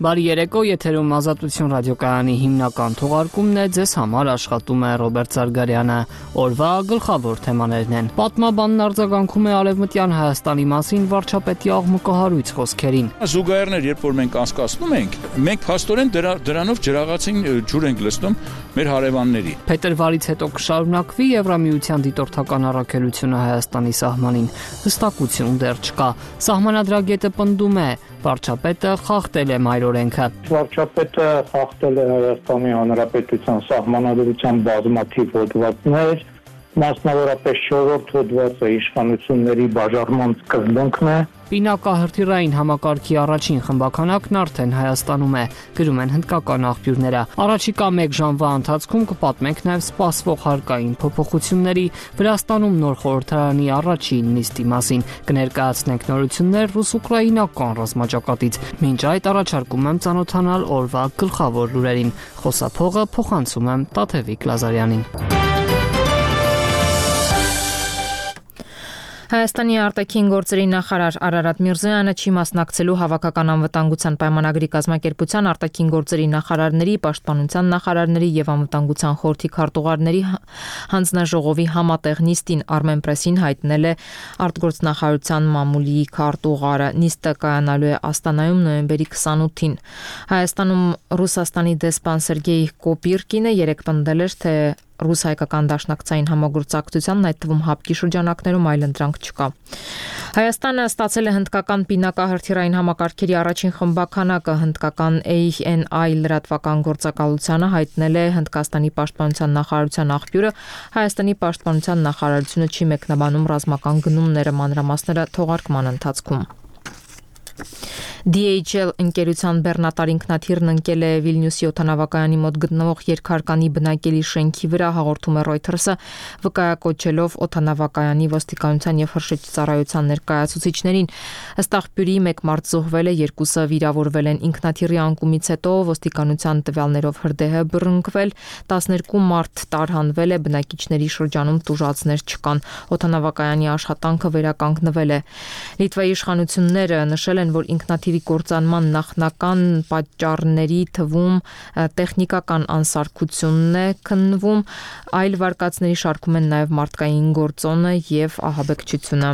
Բարի երեկո, եթերում Ազատություն ռադիոկայանի հիմնական թողարկումն է, ձեզ համար աշխատում է Ռոբերտ Զարգարյանը։ Օրվա գլխավոր թեմաներն են. Պատմաբանն արձագանքում է Արևմտյան Հայաստանի մասին վարչապետի աղմկահարույց խոսքերին։ Զուգահեռներ, երբ որ մենք անցկացնում ենք փաստորեն դրանով ջրաղացին ջուր ենք լցնում մեր հարևանների։ Փետրվարից հետո կշարունակվի Եվրամիության դիտորդական առաքելությունը Հայաստանի սահմանին։ Հստակություն դեռ չկա։ Սահմանադրագետը պնդում է, վարչապետը խախտել է մայրօրենքը։ Վարչապետը խախտել է Հայաստանի Հանրապետության սահմանադրության բազմաթիվ հոդվածներ, մասնավորապես 4-րդ հոդվածը իշխանությունների բաժանման սկզբունքն է։ Պինակահրթիռային համակարգի առաջին խմբականակն արդեն Հայաստանում է, գրում են հնդկական աղբյուրները։ Առաջիկա 1 ժամվա ընթացքում կպատմենք նաև սպասվող հարկային փոփոխությունների, Վրաստանում նոր խորհրդարանի առաջին նիստի մասին, կներկայացնենք նորություններ ռուս-ուկրաինական ռազմաճակատից։ Մինչ այդ առաջարկում եմ ծանոթանալ օրվա գլխավոր լուրերին։ Խոսափողը փոխանցում եմ Տաթևիկ Լազարյանին։ Հայաստանի արտաքին գործերի նախարար Արարատ Միրզոյանը չի մասնակցելու հավաքական անվտանգության պայմանագրի կազմակերպության արտաքին գործերի նախարարների, պաշտպանության նախարարների եւ անվտանգության խորհրդի քարտուղարների հանձնաժողովի համատեղ նիստին Armen Press-ին հայտնել է արտգործնախարարության մամուլի քարտուղարը։ Նիստը կայանալու է Աստանայում նոյեմբերի 28-ին։ Հայաստանում Ռուսաստանի դեսպան Սերգեյ Կոպիրկինը երեկ պնդել էր, թե ռուս-հայկական դաշնակցային համագործակցությանն, այդ թվում հապկի շրջանակներում այլընտրանք չկա։ Հայաստանը ստացել է հնդկական պինակահրթիռային համակարգերի առաջին խմբականակը, հնդկական ANI լրատվական գործակալությանը հայտնել է Հնդկաստանի պաշտպանության նախարարության աղբյուրը։ Հայաստանի պաշտպանության նախարարությունը չի մեկնաբանում ռազմական գնումները, մանրամասները թողարկման ընթացքում։ DHL ընկերության բեռնատար ինքնաթիռն ընկել է Վիլնյուսի օդանավակայանի մոտ գտնվող երկհարկանի բնակելի շենքի վրա, հաղորդում է Reuters-ը, վկայակոչելով օդանավակայանի ոստիկանության եւ հրշեջծառայության ներկայացուցիչներին։ Ըստ աղբյուրի 1 մարդ զոհվել է, 2-ը վիրավորվել են։ Ինքնաթիռի անկումից հետո ոստիկանության տվյալներով հրդեհը բռնկվել, 12 մարդ տարհանվել է, բնակիչների շրջանում տուժածներ չկան։ Օդանավակայանի աշխատանքը վերականգնվել է։ Լիտվայի իշխանությունները նշել են, որ ինքնաթիռի կործանման նախնական պատճառների թվում տեխնիկական անսարքությունն է քննվում, այլ վարկածների շարքում են նաև մարդկային գործոնը եւ ահաբեկչությունը։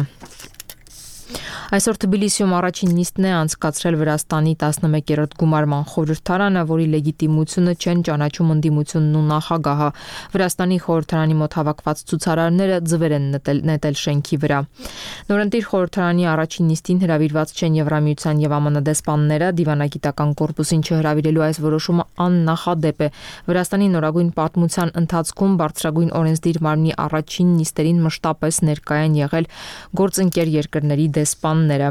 Այսօր Թբիլիսիում առաջին նիստն է անցկացրել Վրաստանի 11-րդ գումարման խորհրդարանը, որի լեգիտիմությունը չեն ճանաչում ընդդիմությունն ու նախագահը։ Վրաստանի խորհրդարանի մոտ հավաքված ցուցարարները ձվեր են նետել շենքի վրա։ Նորընտիր խորհրդարանի առաջին նիստին հրավիրված չեն Եվրամիության եւ ԱՄՆ դեսպանները, դիվանագիտական կորպուսին չհրավիրելու այս որոշումը աննախադեպ է։ Վրաստանի նորագույն պատմության ընթացքում բարձրագույն օրենսդիր մարմնի առաջին նիստերին մշտապես ներկայ են եղել գործընկեր երկրների դեսպանները։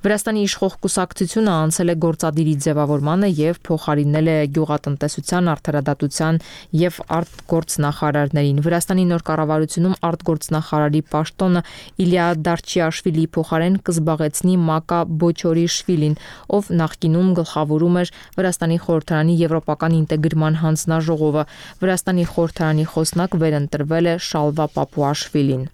Վրաստանի իշխող կուսակցությունը անցել է գործադիրի ձևավորմանը եւ փոխարինել է գյուղատնտեսության, արդարադատության եւ արտգործնախարարներին։ Վրաստանի նոր կառավարությունում արտգործնախարարի պաշտոնը Իլիա Դարչիաշվիլի փոխարեն կզբաղեցնի Մակա Բոչորիշվիլին, ով նախկինում գլխավորում էր Վրաստանի խորհրդարանի եվրոպական ինտեգրման հանձնաժողովը։ Վրաստանի խորհրդարանի խոսնակ վերընտրվել է Շալվա Պապուաշվիլին։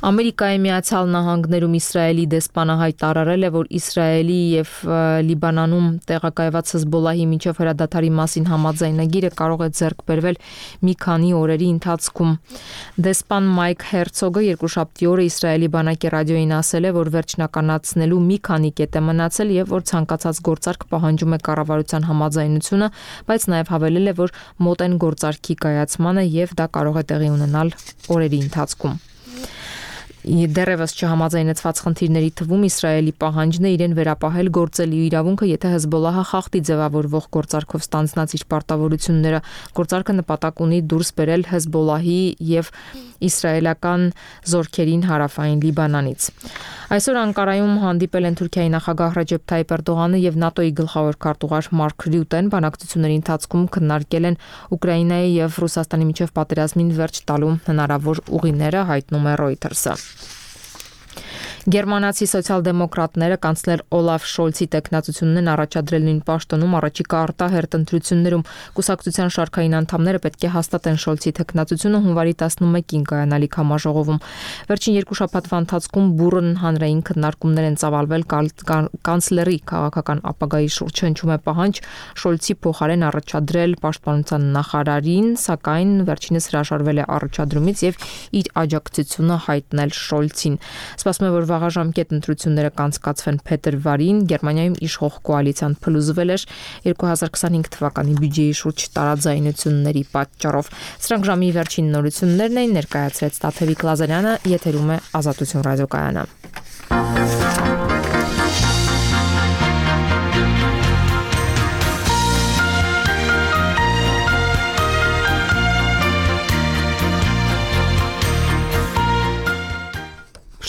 Ամերիկայի Միացյալ Նահանգներում Իսրայելի դեսպանը հայտարարել է, որ Իսրայելի եւ Լիբանանում տեղակայված Հեզբոլլահի միջև հրադադարի մասին համաձայնագիրը կարող է ձեռք բերվել մի քանի օրերի ընթացքում։ Դեսպան Մայք Հերցոգը երկուշաբթի օրը Իսրայելի բանակի ռադիոյին ասել է, որ վերջնականացնելու մի քանի կետ է մնացել եւ որ ցանկացած գործարք պահանջում է կառավարության համաձայնությունը, բայց նաեւ հավելել է, որ մոտ են գործարքի կայացմանը եւ դա կարող է տեղի ունենալ օրերի ընթացքում։ Դեռևս չհամաձայնեցված խնդիրների թվում Իսրայելի պահանջն է իրեն վերապահել գործելու իրավունքը, եթե Հեզբոլլահը խախտի ձևավորվող գործարքով ստանձնած իր պարտավորությունները։ Գործարքը նպատակ ունի դուրս բերել Հեզբոլլահի եւ իսրայելական զորքերին հարավային Լիբանանից։ Այսօր Անկարայում հանդիպել են Թուրքիայի նախագահ Ռեջեփ Թայիպ Էրդողանը եւ ՆԱՏՕ-ի գլխավոր քարտուղար Մարկ Ռյուտեն։ Բանակցությունների ընթացքում քննարկել են Ուկրաինայի եւ Ռուսաստանի միջև պատերազմին վերջ տալու հնարավոր ուղիները, հայտնում է Reuters-ը։ Գերմանացի սոցիալ-դեմոկրատները կանցլեր Օլաֆ Շոլցի տեխնացությունն են առաջադրել նույն պաշտոնում առաջիկա արտահերտ ընտրություններում։ Կուսակցության շարքային անդամները պետք է հաստատեն Շոլցի տեխնացությունը հունվարի 11-ին կայանալիք համաժողովում։ Վերջին երկու շաբաթվա ընթացքում բուռն հանրային քննարկումներ են ծավալվել կանցլերի քաղաքական ապագայի շուրջ։ Հնչում է պահանջ Շոլցի փոխարեն առաջադրել պաշտպանության նախարարին, սակայն վերջինս հրաժարվել է առաջադրումից եւ իր աջակցությունը հայտնել Շոլցին։ Սպասվում է, որ վաղաժամկետ ընտրությունները կանցկացվեն փետրվարին։ Գերմանիայում իշխող կոալիցիան փլուզվել էր 2025 թվականի բյուջեի շուրջ տարաձայնությունների պատճառով։ Սրանք ժամի վերջին նորություններն էին, ներկայացրեց Տաթևիկ Լազարյանը, եթերում է Ազատություն ռադիոկայանը։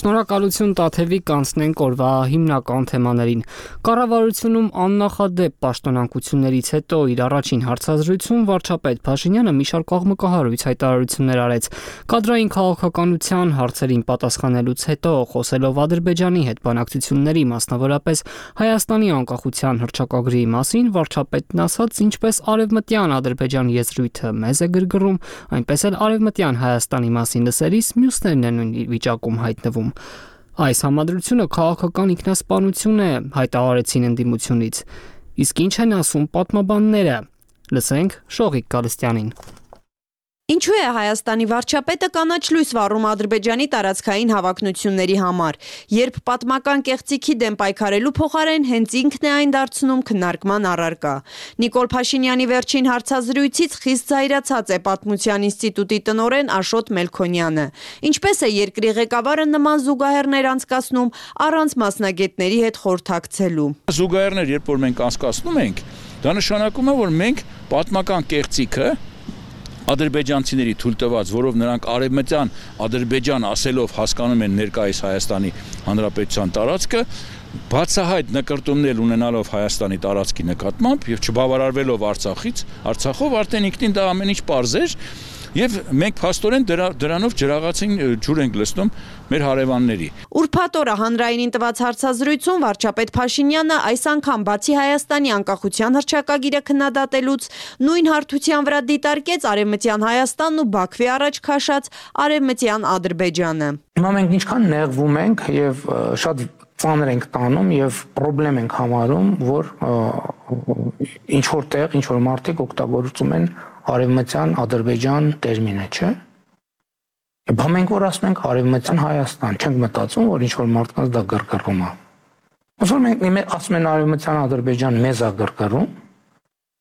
Շնորհակալություն Տաթևիկ, կանցնենք օրվա հիմնական թեմաներին։ Կառավարությունում աննախադեպ պաշտոնանկություններից հետո իր առաջին հարցազրույցում վարչապետ Փաշինյանը մի շարք աղմկահարույց հայտարարություններ արեց։ Կադրային քաղաքականության հարցերին պատասխանելուց հետո, խոսելով Ադրբեջանի հետ բանակցությունների, մասնավորապես Հայաստանի անկախության հռչակագրի մասին, վարչապետն ասաց, ինչպես արևմտյան Ադրբեջան եզրույթը մեզ է գրգռում, այնպես էլ արևմտյան Հայաստանի մասին լսելիս մյուսներն են նույն վիճակում հայտնվում։ Այս համադրությունը քաղաքական ինքնասպանություն է, հայտարարեցին ընդդիմությունից։ Իսկ ինչ են ասում պատմաբանները։ Լսենք Շողիկ Գալստյանին։ Ինչու է Հայաստանի վարչապետը կանաչ լույս վառում Ադրբեջանի տարածքային հավակնությունների համար, երբ պատմական կեղծիքի դեմ պայքարելու փոխարեն հենց ինքն է այն դարձնում քննարկման առարկա։ Նիկոլ Փաշինյանի վերջին հարցազրույցից խիստ զայրացած է Պատմության ինստիտուտի տնօրեն Աշոտ Մելքոնյանը։ Ինչպես է երկրի ղեկավարը նման զուգահեռներ անցկացնում առանց մասնագետների հետ խորհրդակցելու։ Զուգահեռներ, երբ որ մենք անցկացնում ենք, դա նշանակում է, որ մենք պատմական կեղծիքը ադրբեջանցիների թույլ տված, որով նրանք արևմտյան Ադրբեջան ասելով հասկանում են ներկայիս Հայաստանի Հանրապետության տարածքը, բացահայտ նկրտումներ ունենալով Հայաստանի տարածքի նկատմամբ եւ չբավարարվելով Արցախով արդեն ինքնին դա ամեն ինչ պարզ էր եւ մենք փաստորեն դրանով ջրաղացին ջուր ենք լցնում մեր հարևանների։ Ուրբաթ օրը հանրայինին տված հարցազրույցում վարչապետ Փաշինյանը այս անգամ բացի Հայաստանի անկախության հռչակագիրը քննադատելուց նույն հարթության վրա դիտարկեց արևմտյան Հայաստանն ու Բաքվի առաջ քաշած արևմտյան Ադրբեջանը։ Հիմա մենք ինչքան նեղվում ենք եւ շատ ծանր ենք տանում եւ խնդրեմ ենք համարում, որ ինչ որտեղ ինչ որ մարդիկ օգտագործում են արևմտյան Ադրբեջան տերմինը, չէ՞։ Բա մենք որ ասում ենք արևմտյան Հայաստան, չենք մտածում, որ ինչ որ մարդկանց դա գրգռում է։ Ոնց որ մենք ասում են արևմտյան Ադրբեջան մեզ է գրգռում,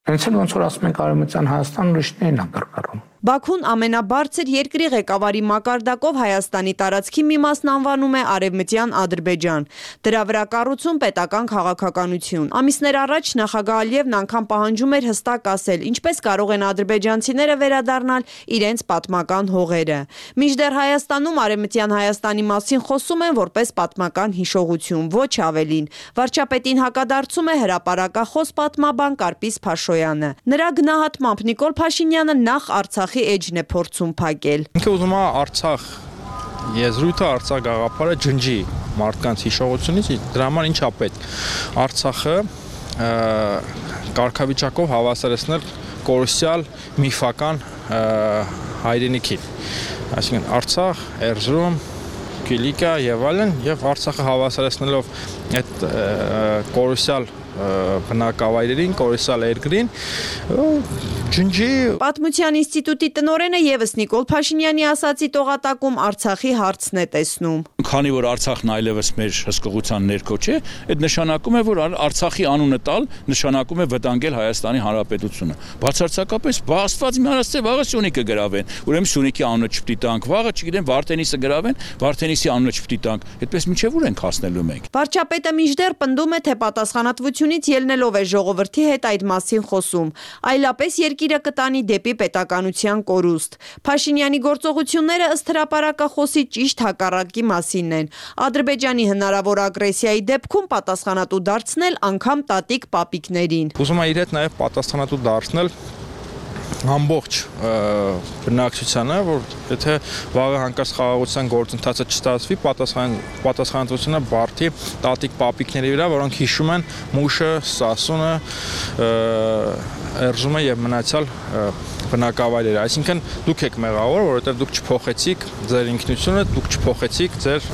հենց էլ ոնց որ ասում ենք արևմտյան Հայաստան ուրիշներին է գրգռում։ Բաքուն ամենաբարձր երկրի ղեկավարի մակարդակով Հայաստանի տարածքի մի մասն անվանում է Արևմտյան Ադրբեջան։ Դրա վրա կառուցում պետական քաղաքականություն։ Ամիսներ առաջ նախագահ Ալիևն անգամ պահանջում էր հստակ ասել, ինչպես կարող են ադրբեջանցիները վերադառնալ իրենց պատմական հողերը։ Մինչդեռ Հայաստանում Արևմտյան Հայաստանի մասին խոսում են որպես պատմական հիշողություն, ոչ ավելին։ Վարչապետին հակադարձում է հրապարակախոս պատմաբան Կարպիս Փաշոյանը։ Նրա գնահատմամբ Նիկոլ Փաշինյանը նախ Արցախի էջն է փորձում փակել։ Ինքը ուզում է Արցախ եզրույթը, Արցախ գաղափարը ջնջի մարդկանց հիշողությունից, դրա համար ինչա պետք։ Արցախը կարգավիճակով հավասարեցնել կորուսյալ միֆական հայրենիքին։ Այսինքն Արցախ, Էրզրում, Կիլիկա եւ այլն, եւ Արցախը հավասարեցնելով այդ կորուսյալ բնակավայրերին, կորուսյալ երկրին, ջնջի։ Պատմության ինստիտուտի տնօրենը եւս Նիկոլ Փաշինյանի ասացի տողատակում Արցախի հարցն է տեսնում։ Քանի որ Արցախն այլևս մեր հսկողության ներքո չէ, այդ նշանակում է, որ Արցախի անունը տալ նշանակում է վտանգել Հայաստանի Հանրապետությունը։ Բացարձակապես Աստված իմ հարցը վաղը Սյունիքը գրավեն, ուրեմն Սյունիքի անունը չպիտի տանք, վաղը չգիտեմ Վարդենիսը գրավեն, Վարդենիսի անունը չպիտի տանք։ Այդպես մինչև ուր ենք հասնելու մենք։ Վարչապետը մինչդեռ պնդում է, թե պատասխանատվությունից ելնելով է ժողովրդի հետ այդ մասին խոսում, այլապես երկիրը կտանի դեպի պետականության կորուստ։ Փաշինյանի գործողությունները ըստ հրապարակախոսի ճիշտ հակառակի մասին են։ Ադրբեջանի հնարավոր ագրեսիայի դեպքում պատասխանատու դարձնել անգամ տատիկ պապիկներին։ Ուզում է իր հետ նաև պատասխանատու դարձնել ամբողջ բնակչությանը, որ եթե վաղը հանկարծ խաղաղության գործընթացը չստացվի, պատասխանատվությունը բարդի տատիկ պապիկների վրա, որոնք հիշում են մուշը, սասունը, էրժումը եւ մնացյալ բնակավայրերը, այսինքն դուք եք մեղավոր, որովհետև դուք չփոխեցիք ձեր ինքնությունը, դուք չփոխեցիք ձեր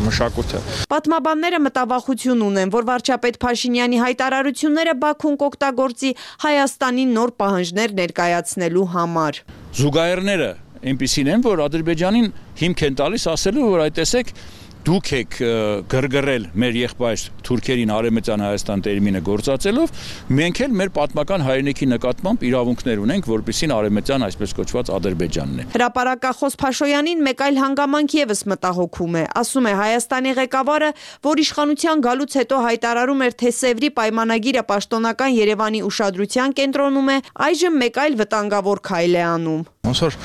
մշակույթը։ Պատմաբանները մտավախություն ունեն, որ վարչապետ Փաշինյանի հայտարարությունները Բաքուն կօգտագործի Հայաստանի նոր պահանջներ ներկայացնելու համար։ Զուգահեռները այնպիսին են, որ Ադրբեջանին հիմք են տալիս ասելու, որ այդ տեսեք դուք եք գրգռել մեր եղբայր թուրքերին Արևմտյան Հայաստան տերմինը գործածելով, մենք էլ մեր պատմական հայրենիքի նկատմամբ իրավունքներ ունենք, որպեսզի Արևմտյան այսպես կոչված Ադրբեջանն է։ Հրապարակախոս Փաշոյանին մեկ այլ հանգամանք եւս մտահոգում է։ Ասում է Հայաստանի ղեկավարը, որ իշխանության գալուց հետո հայտարարում էր, թե Սևրի պայմանագիրը պաշտոնական Երևանի ուշադրության կենտրոնում է, այժմ մեկ այլ վտանգավոր քայլ է անում։ Ոնց որ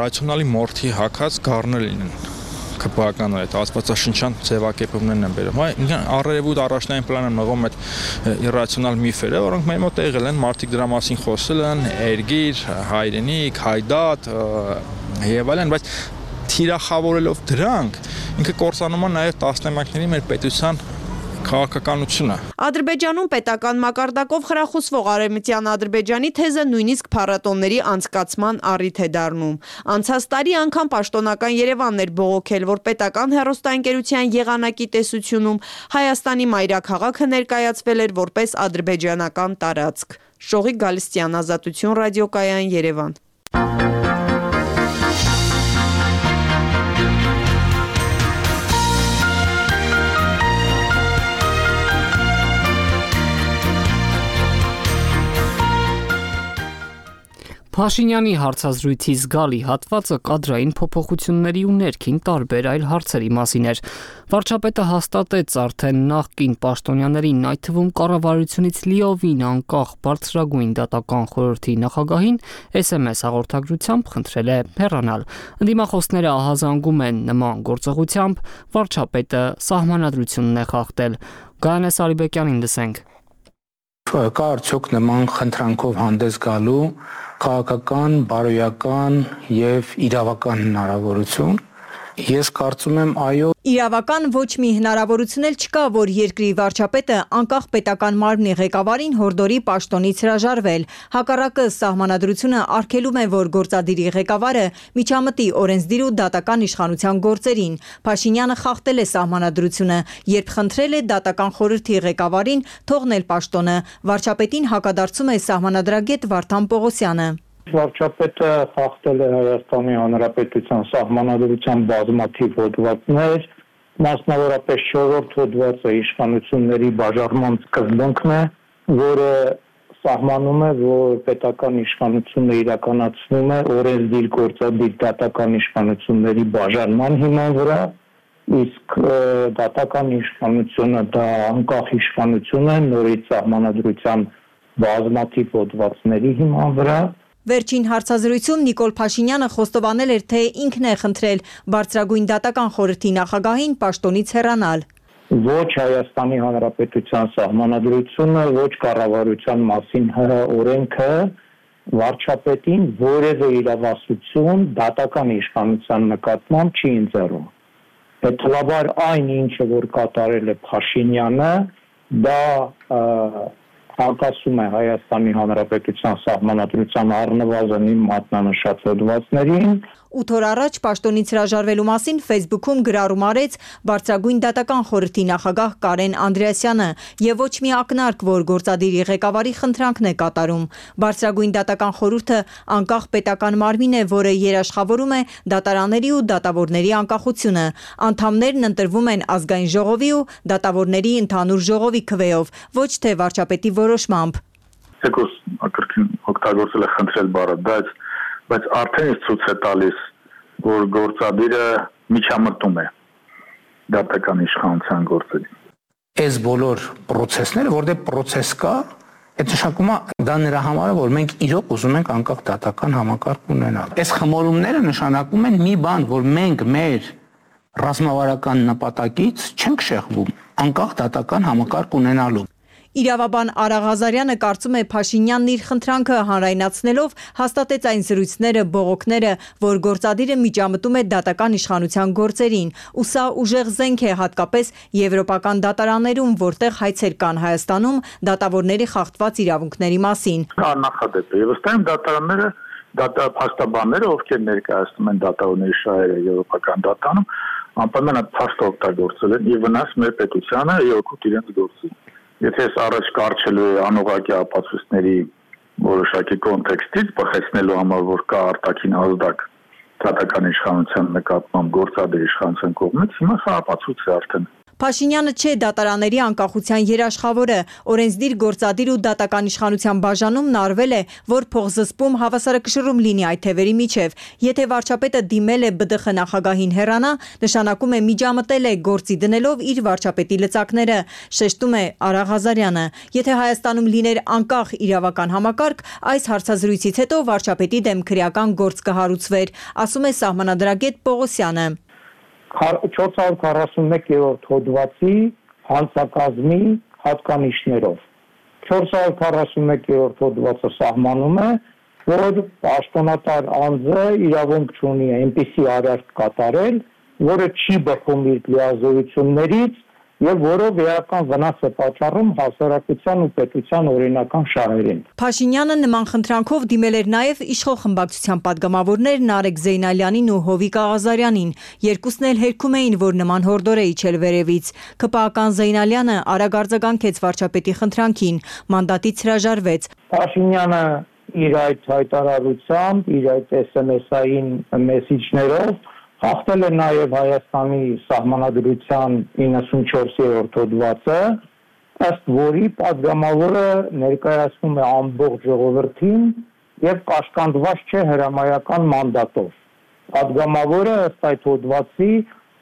ռացիոնալի մորթի հակած գառներ լինեն։ Քպական այդ աստվածաշնչյան ձևակերպումներն են բերում։ Առերևույթ առաջնային պլանը մղում այդ իրացիոնալ միֆերը, որոնք մեր մոտ եղել են, մարդիկ դրա մասին խոսել են, երգիր, հայրենիք, հայդատ եւ այլն, բայց թիրախավորելով դրանք ինքը կորցանում է նաեւ տասնամյակների մեր պետության քաղաքականությունը։ Ադրբեջանում պետական մակարդակով խրախուսվող Արևմտյան Ադրբեջանի թեզը նույնիսկ փառատոնների անցկացման առիթ է դառնում։ Անցած տարի անգամ պաշտոնական Երևանն էր բողոքել, որ պետական հեռուստաընկերության եղանակի տեսությունում Հայաստանի մայրաքաղաքը ներկայացվել էր որպես ադրբեջանական տարածք։ Շողիկ Գալստյան, Ազատություն ռադիոկայան, Երևան։ Փաշինյանի հարցազրույցի զգալի հատվածը կադրային փոփոխությունների ու ներքին տարբեր այլ հարցերի մասին էր։ Վարչապետը հաստատեց արդեն նախկին պաշտոնյաներին, այդ թվում կառավարությունից լիովին անկախ բարձրագույն դատական խորհրդի նախագահին SMS հաղորդագրությամբ խնդրել է հեռանալ։ Ընդդիմախոսները ահազանգում են նման գործողությամբ, վարչապետը սահմանադրությունն է խախտել։ Գայանե Սարիբեկյանին լսենք։ Կա արդյոք նման խնդրանքով հանդես գալու քաղաքական, բարոյական եւ իրավական հնարավորություն։ Ես կարծում եմ այո։ Իրավական ոչ մի հնարավորություն էլ չկա, որ երկրի վարչապետը անկախ պետական մարմնի ղեկավարին հորդորի պաշտոնից հրաժարվել։ Հակառակը սահմանադրությունը արգելում է, որ գործադիրի ղեկավարը միջամտի օրենսդիր ու դատական իշխանության գործերին։ Փաշինյանը խախտել է սահմանադրությունը, երբ խնդրել է դատական խորհրդի ղեկավարին թողնել պաշտոնը։ Վարչապետին հակադարձում է սահմանադրագետ Վարդան Պողոսյանը։ Վարչապետը խախտել է Հայաստանի Հանրապետության սահմանադրության բազմաթիվ հոդվածներ, մասնավորապես 4-րդ հոդվածը իշխանությունների բաժանման սկզբունքն է, որը սահմանում է, որ պետական իշխանությունը իրականացնում է օրենսդիր գործադիր դատական իշխանությունների բաժանման հիման վրա, իսկ դատական իշխանությունը դա անկախ իշխանություն է նորից սահմանադրության բազմաթիվ հոդվածների հիման վրա։ Վերջին հարցազրույցում Նիկոլ Փաշինյանը խոստովանել էր, թե ինքն է խնդրել բարձրագույն դատական խորհրդի նախագահին պաշտոնից հեռանալ։ Ոչ Հայաստանի Հանրապետության սահմանադրությունը, ոչ կառավարության մասին օրենքը վարչապետին որևէ իրավասություն դատական իշխանության նկատմամբ չի ընձեռում։ Հետևաբար այն ինչը որ կատարել է Փաշինյանը, դա անկասում է Հայաստանի Հանրապետության սահմանադրության առնվազն իմ մատնանշած հոդվածներին։ 8 օր առաջ պաշտոնից հրաժարվելու մասին Facebook-ում գրառում արեց բարձրագույն դատական խորհրդի նախագահ Կարեն Անդրեասյանը եւ ոչ մի ակնարկ, որ գործադիրի ղեկավարի խնդրանքն է կատարում։ Բարձրագույն դատական խորհուրդը անկախ պետական մարմին է, որը երաշխավորում է դատարանների ու դատավորների անկախությունը։ Անդամներն ընտրվում են ազգային ժողովի ու դատավորների ընդհանուր ժողովի քվեով, ոչ թե վարչապետի որոշմամբ։ Եկոս ակրկին օգտագործել է խնդրել բառը, բայց արդեն իսկ ցույց է տալիս, որ գործադիրը միջամտում է դատական իշխանության գործերին։ Այս բոլոր process-ները, որտեղ process կա, այդ նշանակում է դա նրա համար է, որ մենք իրոք ուզում ենք անկախ դատական համակարգ ունենալ։ Այս խմորումները նշանակում են մի բան, որ մենք մեր ռազմավարական նպատակից չենք շեղվում անկախ դատական համակարգ ունենալու։ Իրավաբան Արա Ղազարյանը կարծում է Փաշինյանն իր խնդրանքը հանրայնացնելով հաստատեց այն զրույցները, բողոքները, որ գործադիրը միջամտում է դատական իշխանության գործերին, ու սա ուժեղ զենք է հատկապես եվրոպական դատարաններում, որտեղ հայցեր կան Հայաստանում դատավորների խախտված իրավունքների մասին։ Կա նախադեպ է, վստահ եմ դատարանները փաստաբանները, ովքեր ներկայացնում են դատավորների շահերը եվրոպական դատարանում, անպայման այդ փաստը օգտագործել են ի վնաս մեր պետությանը եւ օգուտ իրենց գործի։ Եթե ես առաջ կարճելու է անուղղակի ապացույցների որոշակի կոնտեքստից բխեցնելու համար, որ կա արտաքին ազդակ դատական իշխանության նկատմամբ գործադիր իշխանության կողմից, հիմա սա ապացույց է արդեն։ Փաշինյանը չէ դատարանների անկախության երաշխավորը, օրենսդիր գործադիր ու դատական իշխանության բաժանումն արվել է, որ փոխզսպում հավասարակշռում լինի այդ թևերի միջև։ Եթե վարչապետը դիմել է ԲԴԽ նախագահին հեռանա, նշանակում է միջամտել է գործի դնելով իր վարչապետի լծակները, շեշտում է Արա Ղազարյանը։ Եթե Հայաստանում լիներ անկախ իրավական համակարգ, այս հարցազրույցից հետո վարչապետի դեմ քրեական գործ կհարուցվեր, ասում է սահմանադրագետ Պողոսյանը։ 441-րդ հոդվածի հանցակազմի հատկանիշներով 441-րդ հոդվածը սահմանում է, որ պաշտոնատար անձը իրավունք չունի այնպիսի արարք կատարել, որը չի բխում իր լիազորություններից եւ որով էական վնաս է պատճառում հասարակության ու պետության օրինական շահերին։ Փաշինյանը նման խնդրանքով դիմել էր նաեւ իշխող խմբակցության падգամավորներ Նարեկ Զեյնալյանին ու Հովիկ Աղազարյանին։ Երկուսն էլ հերքում էին, որ նման հորդոր է իջել վերևից։ ԿՊԱ-ական Զեյնալյանը արագ արձագանքեց վարչապետի խնդրանքին, մանդատից հրաժարվեց։ Փաշինյանը իր այդ հայտարարությամբ, իր այդ SMS-ային մեսիջներով հաղթել է նաև Հայաստանի սահմանադրության 94-րդ հոդվածը, ըստ որի падգամավորը ներկայացնում է ամբողջ ժողովրդին եւ կաշկանդված չէ հրամայական մանդատով։ Падգամավորը ըստ այդ հոդվածի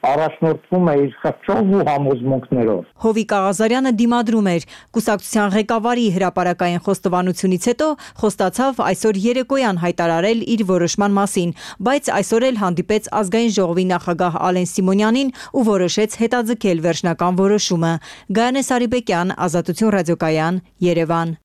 առաջնորդվում է իր խղճով ու համոզմունքներով։ Հովիկ Աղազարյանը դիմադրում էր։ Կուսակցության ղեկավարի հրապարակային խոստովանությունից հետո խոստացավ այսօր երեկոյան հայտարարել իր որոշման մասին, բայց այսօր էլ հանդիպեց ազգային ժողովի նախագահ Ալեն Սիմոնյանին ու որոշեց հետաձգել վերջնական որոշումը։ Գայանե Սարիբեկյան, Ազատություն ռադիոկայան, Երևան։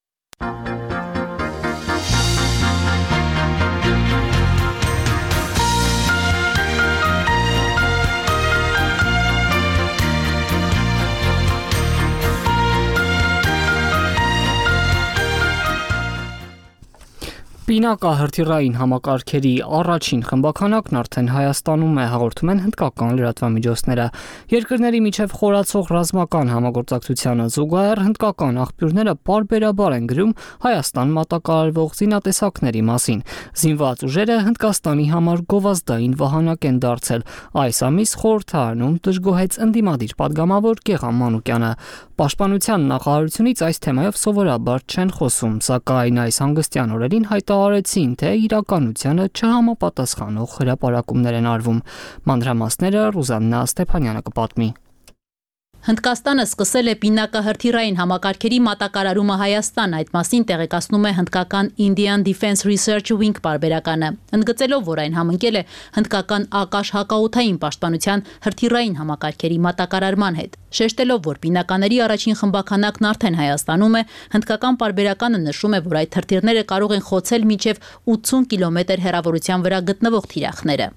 Պինակահրթիռային համակարգերի առաջին խմբականակն արդեն Հայաստանում է, հաղորդում են հնդկական լրատվամիջոցները։ Երկրների միջև խորացող ռազմական համագործակցությանը զուգահեռ հնդկական աղբյուրները պարբերաբար են գրում Հայաստան մատակարարվող զինատեսակների մասին։ Զինված ուժերը Հնդկաստանի համար գովազդային վահանակ են դարձել։ Այս ամիս խորհրդարանում դժգոհեց ընդդիմադիր падգամավոր Գեգամ Մանուկյանը։ Պաշտպանության նախարարությունից այս թեմայով սովորաբար չեն խոսում, սակայն այս հանգստյան օրերին հայտարարեցին, թե իրականությանը չհամապատասխանող հրապարակումներ են արվում։ Մանրամասները Ռուզաննա Ստեփանյանը կպատմի։ Հնդկաստանը սկսել է պինակահրթիռային համակարգերի մատակարարումը Հայաստան, այդ մասին տեղեկացնում է հնդկական Indian Defense Research Wing պարբերականը, ընդգծելով, որ այն համընկել է հնդկական ակաշ հակաօդային պաշտպանության հրթիռային համակարգերի մատակարարման հետ։ Շեշտելով, որ պինակաների առաջին խմբականակն արդեն Հայաստանում է, հնդկական պարբերականը նշում է, որ այդ հրթիռները կարող են խոցել մինչև 80 կիլոմետր հեռավորության վրա գտնվող թիրախները։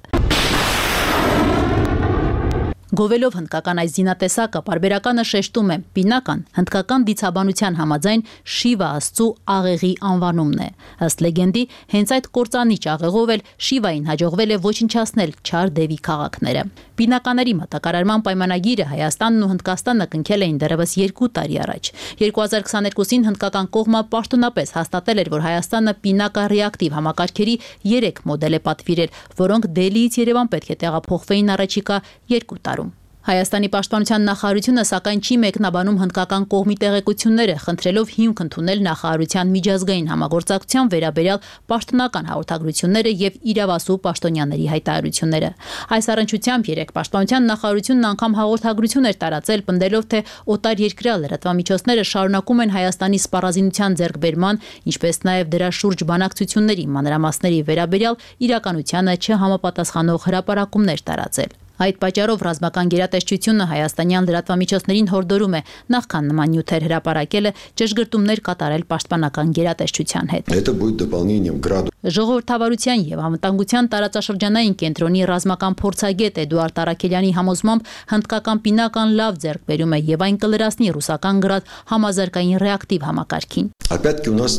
Գովելով հնդկական այս զինատեսակը, պարբերականը շեշտում է, պինական հնդկական դիցաբանության համաձայն Շիվա աստծու աղեղի անվանումն է։ Ըստ լեգենդի, հենց այդ կործանիչ աղեղով էլ Շիվային հաջողվել է ոչնչացնել չար դևի քաղաքները։ Պինականների մատակարարման պայմանագիրը Հայաստանն ու Հնդկաստանը կնքել էին դեռևս 2 տարի առաջ։ 2022-ին հնդկական կողմը պաշտոնապես հաստատել էր, որ Հայաստանը պինակա ռեակտիվ համակարգերի 3 մոդել է պատվիրել, որոնք Դելիից Երևան պետք է տեղափոխվեին առաջիկա 2 տարում։ Հայաստանի պաշտպանության նախարարությունը սակայն չի մեկնաբանում հնդկական կողմի տեղեկությունները, խնդրելով հիմք ընդունել նախարարության միջազգային համագործակցության վերաբերյալ պաշտոնական հաղորդագրությունները եւ իրավասու պաշտոնյաների հայտարարությունները։ Այս առնչությամբ երեք պաշտպանության նախարարությունն անգամ հաղորդագրություն էր տարածել, պնդելով, թե օտար երկրյա լրատվամիջոցները շարունակում են Հայաստանի սպառազինության ձեռքբերման, ինչպես նաեւ դրա շուրջ բանակցությունների մանրամասների վերաբերյալ իրականությանը չհամապատասխանող հրապարակումներ տարածել։ Այդ պատճառով ռազմական գերատեսչությունը հայաստանյան լրատվամիջոցներին հորդորում է նախքան նման նյութեր հրապարակելը ճշգրտումներ կատարել պաշտպանական գերատեսչության հետ։ Это будет дополнением к граду. Ժողովրդավարության եւ անվտանգության տարածաշրջանային կենտրոնի ռազմական փորձագետ Էդուարդ Արաքելյանի համոզմամբ հնդկական պինական լավ ձեռքբերում է եւ այն կլրացնի ռուսական գրադ համազարգային ռեակտիվ համակարգին։ Опять-таки у нас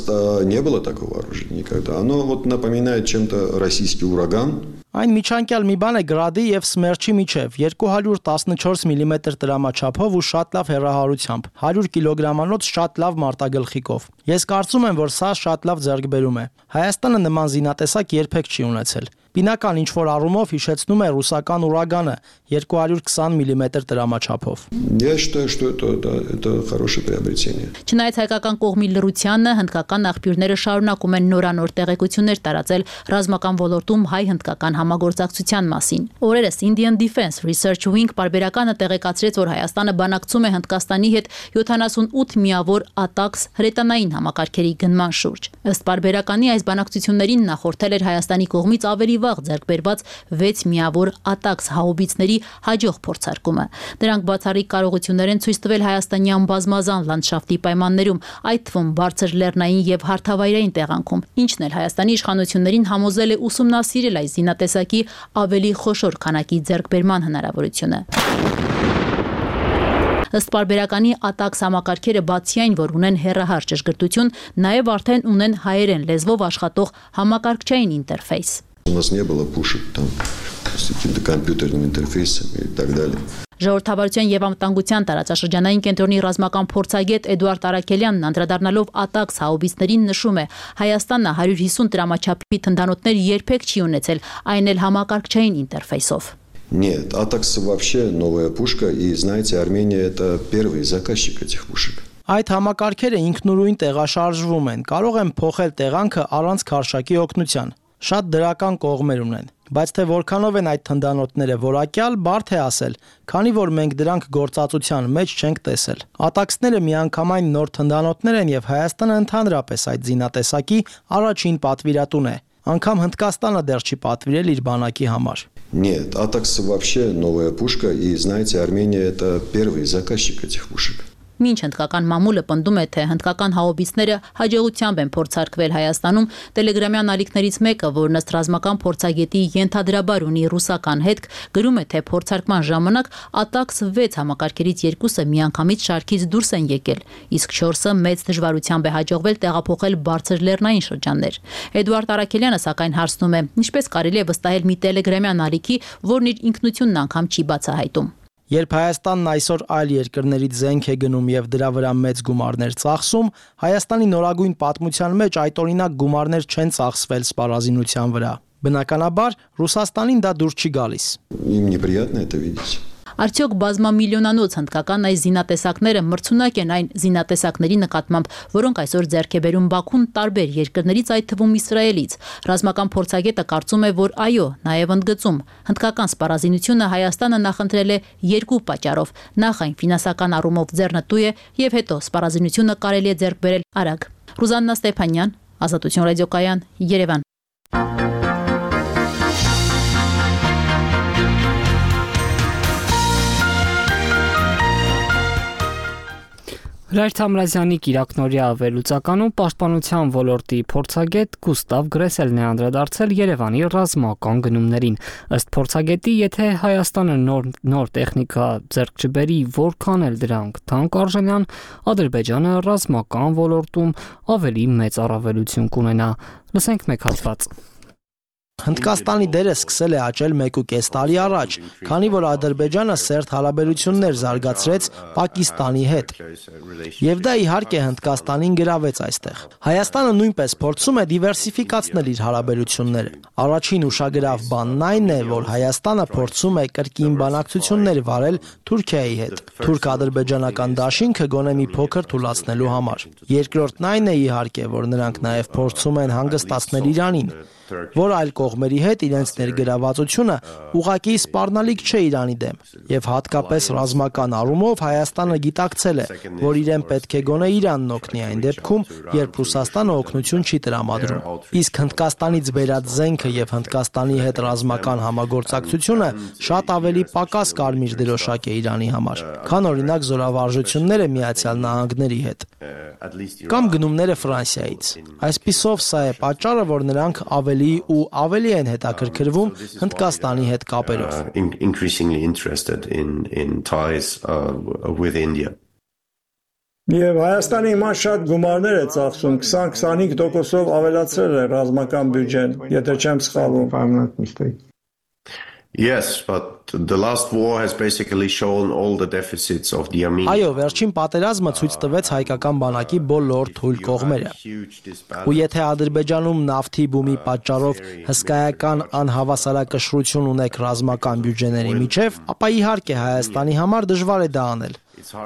не было такого оружия никогда. Оно вот напоминает чем-то российский ураган. Այն միջանկյալ մի բան է գրադի եւ սմերչի միջև 214 մմ տրամաչափով ու շատ լավ հեռահարությամբ 100 կիլոգրամանոց շատ լավ մարտագլխիկով։ Ես կարծում եմ, որ սա շատ լավ ձեռքբերում է։ Հայաստանը նման զինատեսակ երբեք չի ունեցել։ Բինական ինչ-որ առումով հիշեցնում է ռուսական ուրագանը 220 մմ տրամաչափով։ Я считаю, что это хорошее приобретение. Չնայած հայկական կողմի լռությանը, հնդկական աղբյուրները շարունակում են նորանոր տեղեկություններ տարածել ռազմական ոլորտում հայ-հնդկական համագործակցության մասին։ Օրերս Indian Defense Research Wing պարբերականը տեղեկացրեց, որ Հայաստանը բանակցում է Հնդկաստանի հետ 78 միավոր ATACMS հրետանային համակարգերի գնման շուրջ։ Ըստ պարբերականի այս բանակցություններին նախորդել էր Հայաստանի կողմից ավելի վաղ ձեռքբերված 6 միավոր ATACMS հաուբիցների հաջող փորձարկումը։ Դրանք բացառիկ կարողություններ են ցույց տվել հայաստանյան բազմազան լանդշաֆտի պայմաններում, այդ թվում բարձր լեռնային եւ հարթավայրային տեղանքում, ինչն էլ Հայաստանի իշխանություններին համոզել է ուսումնասիրել այս զինատեսակի ավելի խոշոր քանակի ձեռքբերման հնարավորությունը։ Ըստ պարբերականի ATACMS համակարգերը բացի այն, որ ունեն հեռահար ճշգրտություն, նաև արդեն ունեն հայերեն լեզվով աշխատող համակարգչային ինտերֆեյս։ У нас не было пушек там с каким-то компьютерным интерфейсом и так далее. Ժողովրդավարության եւ անվտանգության տարածաշրջանային կենտրոնի ռազմական փորձագետ Էդուարդ Արաքելյանն անդրադառնալով ATACMS հաուբիցներին нշում է. Հայաստանը 150 տրամաչափի թնդանոթներ երբեք չի ունեցել, այն էլ համակարգչային ինտերֆեյսով։ Нет, ATACMS вообще новая пушка, и знаете, Армения это первый заказчик этих пушек. Այդ համակարգերը ինքնուրույն տեղաշարժվում են, կարող են փոխել տեղանքը առանց քարշակի օգնության։ Շատ դրական կողմեր ունեն, բայց թե որքանով են այդ թնդանոթները որակյալ, բարդ է ասել, քանի որ մենք դրանք գործածության մեջ չենք տեսել։ ATACMS-ները միանգամայն նոր թնդանոթներ են եւ Հայաստանը ընդհանրապես այդ զինատեսակի առաջին պատվիրատուն է։ Անգամ Հնդկաստանը դեռ չի պատվիրել իր բանակի համար։ Нет, ATACMS вообще новая пушка, и знаете, Армения это первый заказчик этих пушек. Մինչ հնդկական մամուլը պնդում է, թե հնդկական հաուբիցները հաջողությամբ են փորձարկվել Հայաստանում, տելեգրամյան ալիքներից մեկը, որն ըստ ռազմական փորձագետի ենթադրաբար ունի ռուսական հետք, գրում է, թե փորձարկման ժամանակ ATACMS 6 համակարգերից 2-ը միանգամից շարքից դուրս են եկել, իսկ 4-ը մեծ դժվարությամբ է հաջողվել տեղափոխել բարձր լեռնային շրջաններ։ Էդուարդ Արաքելյանը սակայն հարցնում է, ինչպես կարելի է վստահել մի տելեգրամյան ալիքի, որն իր ինքնությունն անգամ չի բացահայտում։ Երբ Հայաստանն այսօր այլ երկրներից զենք է գնում եւ դրա վրա մեծ գումարներ ծախսում, Հայաստանի նորագույն պատմության մեջ այդ օրինակ գումարներ չեն ծախսվել սպառազինության վրա։ Բնականաբար Ռուսաստանին դա դուր չի գալիս։ Им неприятно это видеть. Արդյոք բազմամիլիոնանոց հնդկական այս զինատեսակները մրցունակ են այն զինատեսակների նկատմամբ, որոնք այսօր ձեռք է բերում Բաքուն տարբեր երկրներից, այդ թվում Իսրայելից։ Ռազմական փորձագետը կարծում է, որ այո, նաև ընդգծում, հնդկական սպառազինությունը Հայաստանը նախընտրել է երկու պատճառով։ Նախ այն ֆինանսական առումով ձեռնտու է եւ հետո սպառազինությունը կարելի է ձեռք բերել արագ։ Ռուզաննա Ստեփանյան, Ազատություն ռադիոկայան, Երևան։ Հրայր Թամրազյանի կիրակնօրյա վերլուծականում պաշտպանության ոլորտի փորձագետ Գուստավ Գրեսելն է անդրադարձել Երևանի ռազմական գնումներին։ Ըստ փորձագետի, եթե Հայաստանը նոր տեխնիկա ձեռք չբերի, որքան էլ դրանք թանկ արժենան, Ադրբեջանը ռազմական ոլորտում ավելի մեծ առավելություն կունենա։ Լսենք մեկ հատված։ Հնդկաստանի դերը սկսել է աճել 1.5 տարի առաջ, քանի որ Ադրբեջանը սերտ հարաբերություններ զարգացրեց Պակիստանի հետ։ Եվ դա իհարկե Հնդկաստանին գրավեց այստեղ։ Հայաստանը նույնպես փորձում է դիվերսիֆիկացնել իր հարաբերությունները։ Առաջին ուշագրավ բանն այն է, որ Հայաստանը փորձում է կրկին բանակցություններ վարել Թուրքիայի հետ, թուրք-ադրբեջանական դաշինքը գոնե մի փոքր թուլացնելու համար։ Երկրորդն այն է իհարկե, որ նրանք նաև փորձում են հանգստացնել Իրանին, որ այլ կողմ կողմերի հետ իրենց ներգրավվածությունը ուղղակի սպառնալիք չէ Իրանի դեմ, եւ հատկապես ռազմական առումով Հայաստանը գիտակցել է, որ իրեն պետք է գոնե Իրանն օգնի այն դեպքում, երբ Ռուսաստանը օգնություն չի տրամադրում։ Իսկ Հնդկաստանից բերած զենքը եւ Հնդկաստանի հետ ռազմական համագործակցությունը շատ ավելի պակաս կարմիր դրոշակ է Իրանի համար, քան օրինակ զորավարժությունները Միացյալ Նահանգների հետ կամ գնումները Ֆրանսիայից։ Այսպիսով սա է պատճառը, որ նրանք ավելի ու ավելի են հետաքրքրվում Հնդկաստանի հետ կապերով։ Եվ Հայաստանի հիմա շատ գումարներ է ծախսում, 20-25%-ով ավելացրել է ռազմական բյուջեն, եթե չեմ սխալվում։ Yes, but the last war has basically shown all the deficits of the Armenian. Այո, վերջին պատերազմը ցույց տվեց հայկական բանակի բոլոր թույլ կողմերը։ Ու եթե Ադրբեջանում նավթի բումի պատճառով հսկայական անհավասարակշռություն ունեք ռազմական բյուջեների միջև, ապա իհարկե Հայաստանի համար դժվար է դա անել,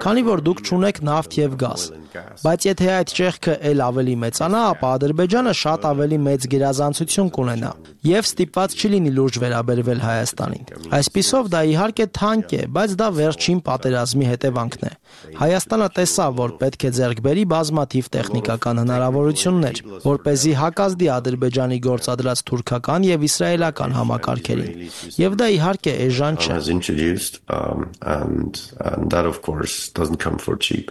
քանի որ դուք չունեք նավթ եւ գազ։ Բայց եթե այդ ճեղքը ել ավելի մեծանա, ապա Ադրբեջանը շատ ավելի մեծ գերազանցություն կունենա եւ ստիպված չի լինի լուրջ վերաբերվել Հայաստանին։ Այսպիսով դա իհարկե թանկ է, բայց դա վերջին պատերազմի հետևանքն է։ Հայաստանը տեսավ, որ պետք է ձեռք բերի բազմաթիվ տեխնիկական հնարավորություններ, որպեսզի հակազդի Ադրբեջանի գործադրած թուրքական եւ իսրայելական համակարգերին։ Եվ դա իհարկե էժան չէ։ And that of course doesn't come for cheap.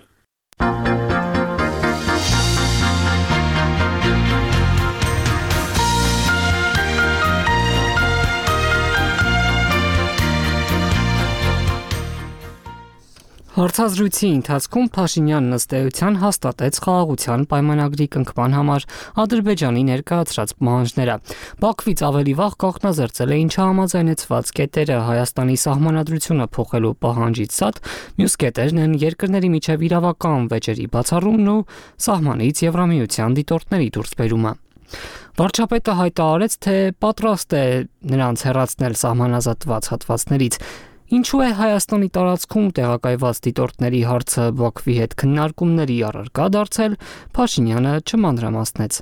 Հարցազրույցի ընթացքում Փաշինյանն ըստ էության հաստատեց խաղաղության պայմանագրի կնքման համար Ադրբեջանի ներկայացրած պահանջները։ Բաքվից ավելի վաղ կողմնազերծել էին չհամաձայնեցված կետերը Հայաստանի սահմանադրությունը փոխելու պահանջից ցած, մյուս կետերն են երկրների միջև իրավական վեճերի բացառումն ու սահմանից Եվրամիության դիտորդների դուրսբերումը։ Վարչապետը հայտարարեց, թե պատրաստ է նրանց հեռացնել սահմանազատված հատվածներից։ Ինչու է Հայաստանի տարածքում տեղակայված դիտորդների հարցը Բաքվի հետ քննարկումների առարկա դարձել, Փաշինյանը չմանրամասնեց։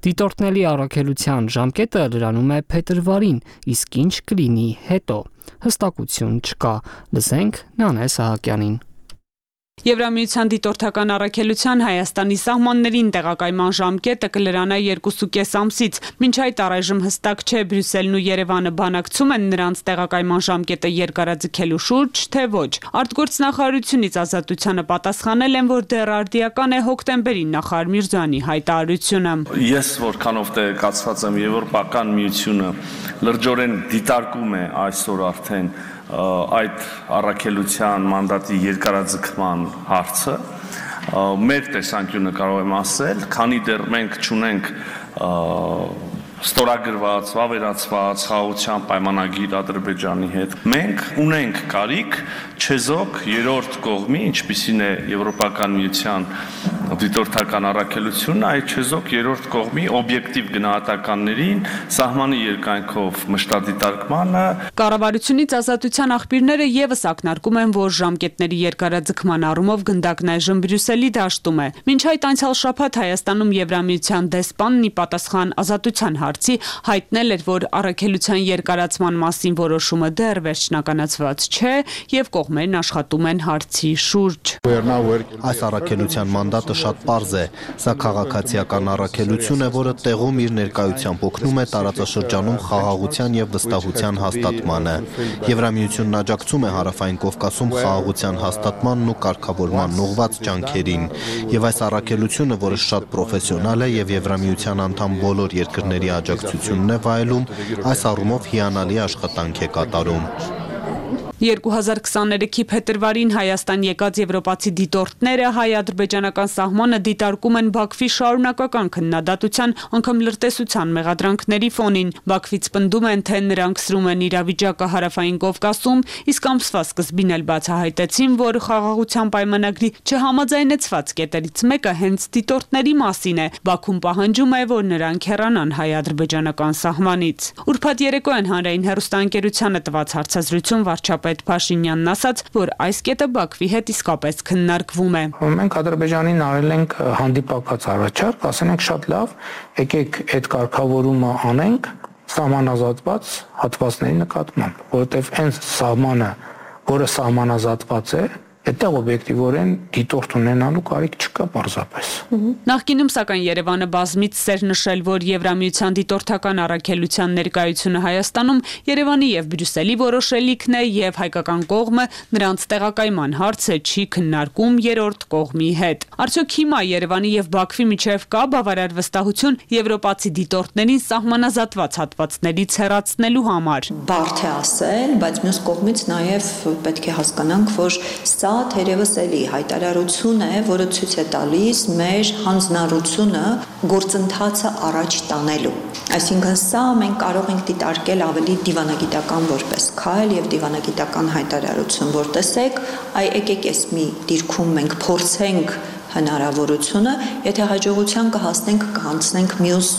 Դիտորդների առաքելության ժամկետը լրանում է փետրվարին, իսկ ինչ կլինի հետո, հստակություն չկա։ Լսենք Նանե Սահակյանին։ Եվրամիության դիտորդական առաքելության Հայաստանի սահմաններին տեղակայման ժամկետը կլրանա 2.5 ամսից, մինչ այդ առայժմ հստակ չէ Բրյուսելն ու Երևանը բանակցում են նրանց տեղակայման ժամկետը երկարաձգելու շուրջ, թե ոչ։ Արտգործնախարարությունից ազատությանը պատասխանել են, որ դեռ արդիական է հոկտեմբերին նախարար Միրզոյանի հայտարարությունը։ Ես որքանով տեղեկացված եմ, Եվրոպական միությունը լրջորեն դիտարկում է այսօր արդեն այդ առաքելության մանդատի երկարաձգման հարցը, մեր տեսանկյունը կարող եմ ասել, քանի դեռ մենք չունենք ստորագրված, վավերացված խաղաղության պայմանագիր Ադրբեջանի հետ, մենք ունենք կարիք չեզոք երրորդ կողմի, ինչպիսին է Եվրոպական միության դիտորդական առաքելությունը, այդ չեզոք երրորդ կողմի օբյեկտիվ գնահատականներին, սահմանի երկայնքով մշտադիտարկմանը։ Կառավարությունից ազատության աղբյուրները եւս ակնարկում են, որ ժամկետների երկարաձգման առումով գնդակն այժմ Բրյուսելի դաշտում է։ Մինչ այդ անցյալ շաբաթ Հայաստանում Եվրամիության դեսպանն ի պատասխան ազատության հարցի հայտնել էր, որ առաքելության երկարացման մասին որոշումը դեռ վերջնականացված չէ եւ կողմերն աշխատում են հարցի շուրջ։ Այս առաքելության մանդատը շատ պարզ է, սա քաղաքացիական առաքելություն է, որը տեղում իր ներկայությամբ օգնում է տարածաշրջանում խաղաղության եւ վստահության հաստատմանը։ Եվրամիությունն աջակցում է Հարավային Կովկասում խաղաղության հաստատմանն ու կարգավորման ուղղված ջանքերին, եւ այս առաքելությունը, որը շատ պրոֆեսիոնալ է եւ Եվրամիության անդամ բոլոր երկրների աջակցությունն է վայելում, այս առումով հիանալի աշխատանք է կատարում։ 2023-ի փետրվարին Հայաստան եկած եվրոպացի դիտորդները հայ-ադրբեջանական սահմանը դիտարկում են Բաքվի շարունակական քննադատության, անգամ լրտեսության մեղադրանքների ֆոնին։ Բաքվից պնդում են, թե նրանք սրում են իրավիճակը Հարավային Կովկասում, իսկ ամսվա սկզբին էլ բացահայտեցին, որ խաղաղության պայմանագրի չհամաձայնեցված կետերից մեկը հենց դիտորդների մասին է։ Բաքուն պահանջում է, որ նրանք հեռանան հայ-ադրբեջանական սահմանից։ Ուրբաթ երեկոյան հանրային հեռուստաընկերությանը տված հարցազրույցում վարչապետ Փաշինյանն ասաց, որ այս կետը Բաքվի հետ իսկապես քննարկվում է։ Մենք Ադրբեջանին արել ենք հանդիպակաց առաջարկ, ասենք շատ լավ, եկեք այդ կարգավորումը անենք սահմանազատված հատվածների նկատմամբ, որովհետև այն սահմանը, որը սահմանազատված է, այդտեղ օբյեկտիվորեն դիտորդ ունենալու կարիք չկա պարզապես։ Նախկինում սակայն Երևանը բազմից էր նշել, որ Եվրամիության դիտորդական առաքելության ներկայությունը Հայաստանում Երևանի եւ Բրյուսելի որոշելիքն է եւ հայկական կողմը նրանց տեղակայման հարցը չի քննարկում երրորդ կողմի հետ։ Արդյոք հիմա Երևանի եւ Բաքվի միջև կա բավարար վստահություն եվրոպացի դիտորդներին սահմանազատված հատվածներից հեռացնելու համար։ Բարդ է ասել, բայց մյուս կողմից նաեւ պետք է հասկանանք, որ սա թերևս էլի հայտարարություն է, որը ցույց է տալիս մեր հանձնառությունը գործընթացը առաջ տանելու։ Այսինքն սա մենք կարող ենք դիտարկել ավելի դիվանագիտական որպես քայլ եւ դիվանագիտական հայտարարություն, որ տեսեք, եկեք էս մի դիրքում մենք փորձենք հնարավորությունը, եթե հաջողության կհասնենք, կհանձնենք մյուս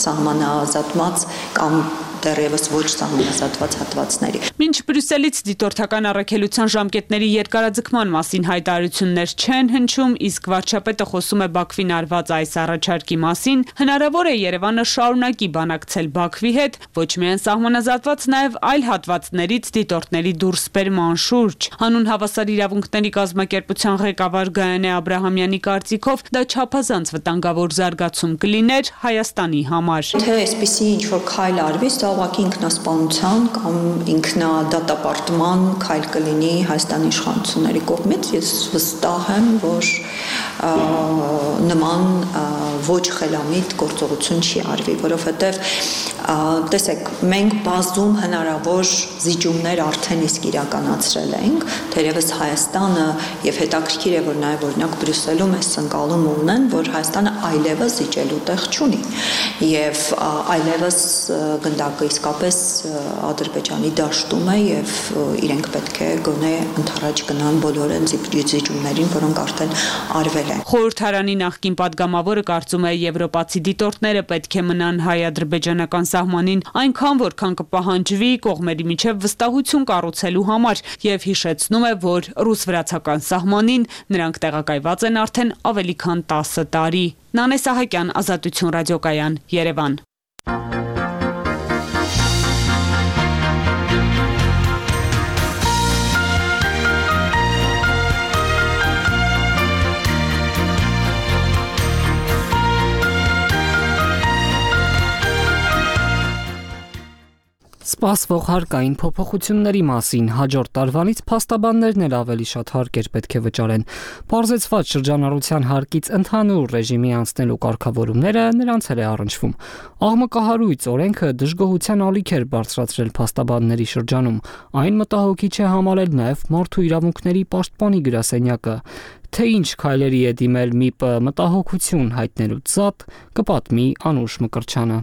սահմանազատված կամ դեռևս ոչ սահմանազատված հատվածների։ Մինչ Բրյուսելից դիտորդական առաքելության ժամկետների երկարաձգման մասին հայտարարություններ չեն հնչում, իսկ վարչապետը խոսում է Բաքվին արված այս առաջարկի մասին, հնարավոր է Երևանը շարունակի բանակցել Բաքվի հետ, ոչ միայն սահմանազատված, նաև այլ հատվածներից դիտորդների դուրսբերման շուրջ։ Հանուն հավասար իրավունքների կազմակերպության ղեկավար Գայանե Աբրահամյանի կարծիքով դա չափազանց վտանգավոր զարգացում կլիներ Հայաստանի համար։ Թե այսպիսի ինչ-որ քայլ արվի, ուղղակի ինքնասպանության կամ ինքնադատապարտման քայլ կլինի Հայաստանի իշխանությունների կողմից։ Ես վստահ եմ, որ նման ոչ խելամիտ գործողություն չի արվի, որովհետև տեսեք, մենք բազում հնարավոր զիջումներ արդեն իսկ իրականացրել ենք, թերևս Հայաստանը եւ հետաքրքիր է, որ նաեւ օրինակ Բրյուսելում էս ընկալում ունեն, որ Հայաստանը այլևս զիջելու տեղ չունի եւ այլևս գնդակը իսկապես Ադրբեջանի դաշտում է եւ իրենք պետք է գոնե ընդառաջ գնան բոլոր այն զիջումներին, որոնք արդեն արվել են։ Խորհրդարանի նախկին падգամավորը կարծում է եվրոպացի դիտորդները պետք է մնան հայ-ադրբեջանական սահմանին այնքան, որքան կպահանջվի կողմերի միջև վստահություն կառուցելու համար եւ հիշեցնում է, որ ռուս-վրացական սահմանին նրանք տեղակայված են արդեն ավելի քան 10 տարի։ Նանե Սահակյան, Ազատություն ռադիոկայան, Երևան։ Սպասվող հարկային փոփոխությունների մասին հաջորդ տարվանից փաստաբաններն էլ ավելի շատ հարկեր պետք է վճարեն։ Պարզեցված շրջանառության հարկից ընդհանուր ռեժիմի անցնելու կարգավորումները նրանց էլ է առնչվում։ Աղմկահարույց օրենքը դժգոհության ալիք էր բարձրացրել փաստաբանների շրջանում։ Այն մտահոգիչ է համարել նաև Մարդու իրավունքների պաշտպանի գրասենյակը։ Թե ինչ քայլերի է դիմել ՄԻՊ-ը մտահոգություն հայտնելուց զատ, կպատմի Անուշ Մկրտչյանը։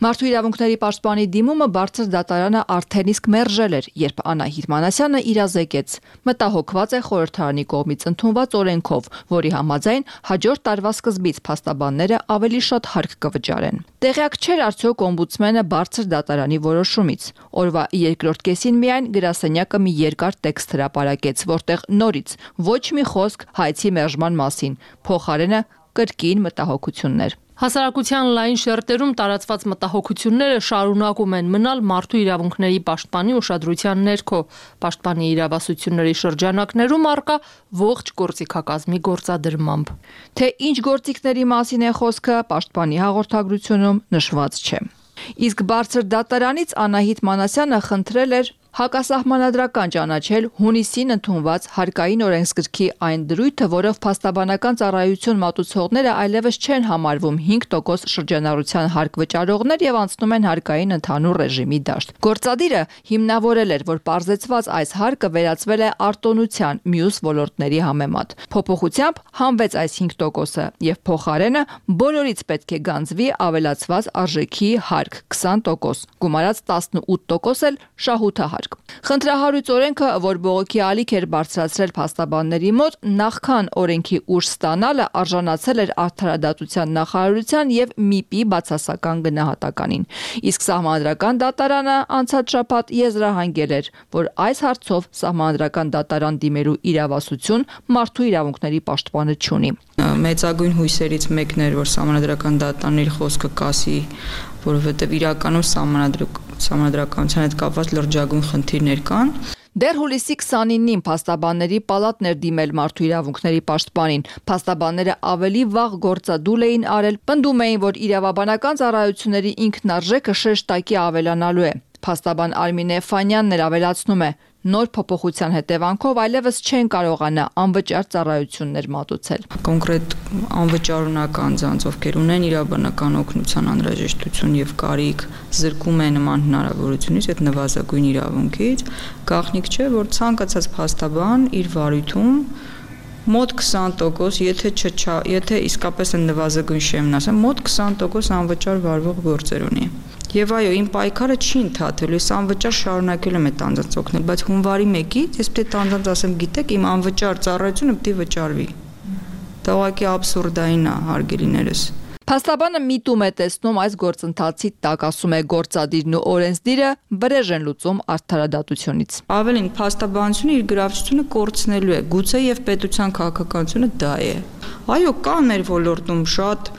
Մարդու իրավունքների պաշտպանի դիմումը բարձր դատարանը արդեն իսկ մերժել էր, երբ Անահիտ Մանասյանը իրազեկեց։ Մտահոգված է խորհրդարանի կողմից ընդունված օրենքով, որի համաձայն հաջորդ տարվա սկզբից փաստաբանները ավելի շատ հարկ կվճարեն։ Տեղյակ չէր արդյոք օմբուդսմենը բարձր դատարանի որոշումից։ Օրվա երկրորդ կեսին միայն գրասենյակը մի երկար տեքստ հրապարակեց, որտեղ նորից ոչ մի խոսք հայցի մերժման մասին, փոխարենը կրկին մտահոգություններ։ Հասարակության լայն շերտերում տարածված մտահոգությունները շարունակում են մնալ մարդու իրավունքների պաշտպանի ուշադրության ներքո, պաշտպանի իրավասությունների շրջանակներում առկա ողջ գործիքակազմի գործադրմամբ։ Թե ինչ գործիքների մասին է խոսքը, պաշտպանի հաղորդագրությունում նշված չէ։ Իսկ բարձր դատարանից Անահիտ Մանասյանը խնդրել էր հակասահմանադրական ճանաչել հունիսին ընդունված հարկային օրենսգրքի այն դրույթը, որով փաստաբանական ծառայություն մատուցողները այլևս չեն համարվում 5% շրջանառության հարկ վճարողներ եւ անցնում են հարկային ընդհանուր ռեժիմի դաշտ։ Գործադիրը հիմնավորել էր, որ պարզեցված այս հարկը վերածվել է արտոնության մյուս ոլորտների համեմատ։ Փոփոխությամբ հանվեց այս 5%-ը եւ փոխարենը բոլորից պետք է գանձվի ավելացված արժեքի հարկ 20%, գումարած 18% էլ շահութահարկ։ օրինակ։ Խնդրահարույց օրենքը, որ բողոքի ալիք էր բարձրացրել փաստաբանների մոտ, նախքան օրենքի ուժ ստանալը արժանացել էր Արդարադատության նախարարության եւ ՄԻՊ-ի բացասական գնահատականին։ Իսկ Սահմանադրական դատարանը անցած շաբաթ եզրահանգել էր, որ այս հարցով Սահմանադրական դատարան դիմելու իրավասություն մարդու իրավունքների պաշտպանը չունի։ Մեծագույն հույսերից մեկն էր, որ Սահմանադրական դատարանն իր խոսքը կասի, որովհետև իրականում Սահմանադրականության հետ կապված լրջագույն խնդիրներ կան։ Դեռ հուլիսի 29-ին փաստաբանների պալատն էր դիմել մարդու իրավունքների պաշտպանին։ Փաստաբանները ավելի վաղ գործադուլ էին արել, պնդում էին, որ իրավաբանական ծառայությունների ինքնարժեքը շեշտակի ավելանալու է։ Փաստաբան Արմինե Ֆանյանն էլ ավելացնում է. նոր փոփոխության հետևանքով այլևս չեն կարողանա անվճար ծառայություններ մատուցել։ Կոնկրետ անվճարունակ անձանց, ովքեր ունեն իրավաբանական օգնության անհրաժեշտություն եւ կարիք, զրկում է նման հնարավորությունից, այդ նվազագույն իրավունքից, գաղտնիք չէ, որ ցանկացած փաստաբան իր վարույթում մոտ 20%, եթե իսկապես են նվազագույն շեմն ասեմ, մոտ 20% անվճար վարվող գործեր ունի։ Եվ այո, իմ պայքարը չի ընթացելու, ես անվճար շարունակել եմ այդ անձանց օգնել, բայց հունվարի 1-ից ես պետք է անձանց ասեմ, գիտեք, իմ անվճար ծառայությունը պետք է վճարվի։ Դա ուղղակի աբսուրդային է, հարգելիներս։ Փաստաբանը միտում է տեսնում այս գործընթացի տակ, ասում է գործադիրն ու օրենսդիրը վրեժ են լուծում արդարադատությունից։ Ավելին, փաստաբանությունը իր գրավչությունը կորցնելու է, գուցե եւ պետության քաղաքականությունը դա է։ Այո, կան մեր ոլորտում շատ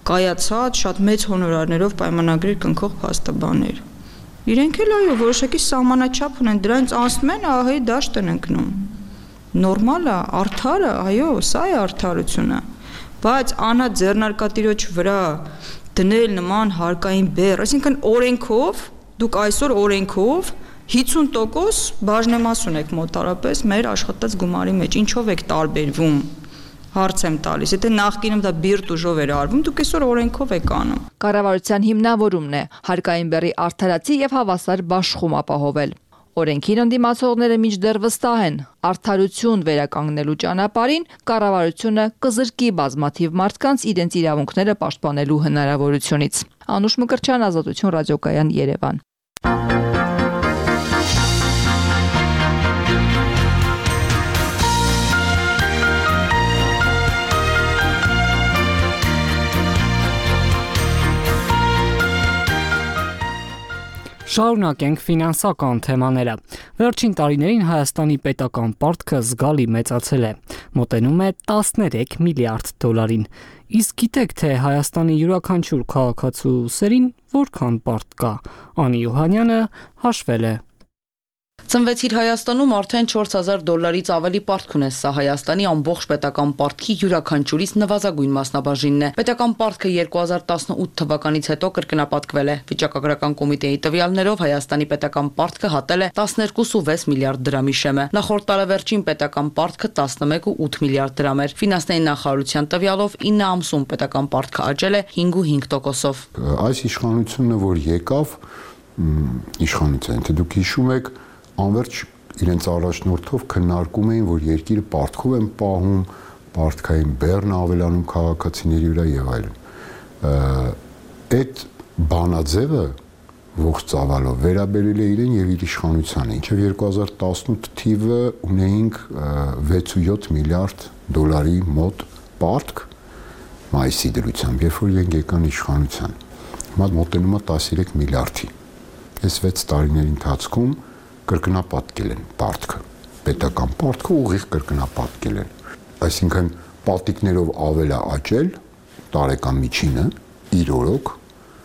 կայացած, շատ մեծ հոնորարներով պայմանագրեր կնքող փաստաբաններ։ Իրենք էլ այո, որոշակի սահմանաչափ ունեն, դրանից անցնում են ահայի դաշտ են ընկնում։ Նորմալ է, արդար է, այո, սա է արդարությունը։ Բայց անա ձեռնարկատիրոջ վրա դնել նման հարկային բեռ, այսինքն օրենքով, դուք այսօր օրենքով 50% բաժնեմաս ունեք մոտարապես մեր աշխատած գումարի մեջ, ինչով եք տարբերվում։ Հարց եմ տալիս, եթե նախկինում դա բիրտ ուժով էր արվում, դուք այսօր օրենքով եք անում։ Կառավարության հիմնավորումն է հարկային բեռի արդարացի եւ հավասար բաշխում ապահովել։ Օրենքին ընդդիմացողները մինչդեռ վստահ են, արդարություն վերականգնելու ճանապարհին կառավարությունը կզրկի բազմաթիվ մարդկանց իրենց իրավունքները պաշտպանելու հնարավորությունից։ Անուշ Մկրտչյան, Ազատություն ռադիոկայան, Երևան։ Շարունակենք ֆինանսական թեմաները։ Վերջին տարիներին Հայաստանի պետական պարտքը զգալի մեծացել է, մոտենում է 13 միլիարդ դոլարին։ Իսկ գիտեք, թե Հայաստանի յուրաքանչյուր քաղաքացու սերին որքան պարտ կա։ Անի Յուհանյանը հաշվել է։ Ծնվեցիր Հայաստանում, արդեն $4000 ավելի պարտք ունես, սա Հայաստանի ամբողջ պետական պարտքի յուրաքանչյուրից նվազագույն մասնաբաժինն է։ Պետական պարտքը 2018 թվականից հետո կրկնապատկվել է։ Վիճակագրական կոմիտեի տվյալներով Հայաստանի պետական պարտքը հատել է 12.6 միլիարդ դրամի շեմը։ Նախորդ տարեվերջին պետական պարտքը 11.8 միլիարդ դրամ էր։ Ֆինանսների նախարարության տվյալով 9 ամսում պետական պարտքը աճել է 5.5%-ով։ Այս իշխանությունը, որ եկավ, իշխանության, թե դուք հիշում եք, անverջ իրենց առաջնորդով քննարկում էին, որ երկիրը պարտքով են պահում, պարտքային բեռն ավելանում քաղաքացիների վրա եւ այլն։ Այդ բանաձևը ողջ ծավալով վերաբերել է իրեն եւ իր իշխանությանը, ինչեւ 2018 թիվը ունեինք 6.7 միլիարդ դոլարի մոտ պարտք մայիսի դրությամբ, երբ որ իրենք եկան իշխանության։ Հիմա մոտենում է 13 միլիարդի։ Այս 6 տարիների ընթացքում կրկնապատկել են պարտքը, պետական պարտքը ուղիղ կրկնապատկել են, այսինքն պատիկներով ավել է աճել տարեկան միջինը իր օրոք։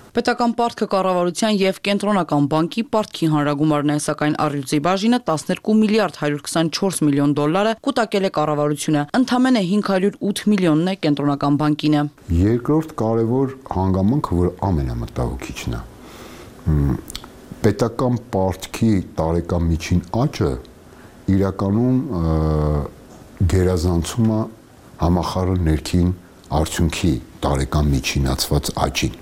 Պետական պարտքը կառավարության եւ կենտրոնական բանկի պարտքի հանրագումարն է, սակայն առյուծի բաժինը 12 միլիարդ 124 միլիոն դոլարը կուտակել է կառավարությունը, ընդամենը 508 միլիոնն է կենտրոնական բանկինը։ Երկրորդ կարևոր հանգամանքը, որ ամենամտահոգիչն է, պետական պարտքի տարեկան միջին աճը իրականում գերազանցում է համախառն ներքին արդյունքի տարեկան միջինացված աճին։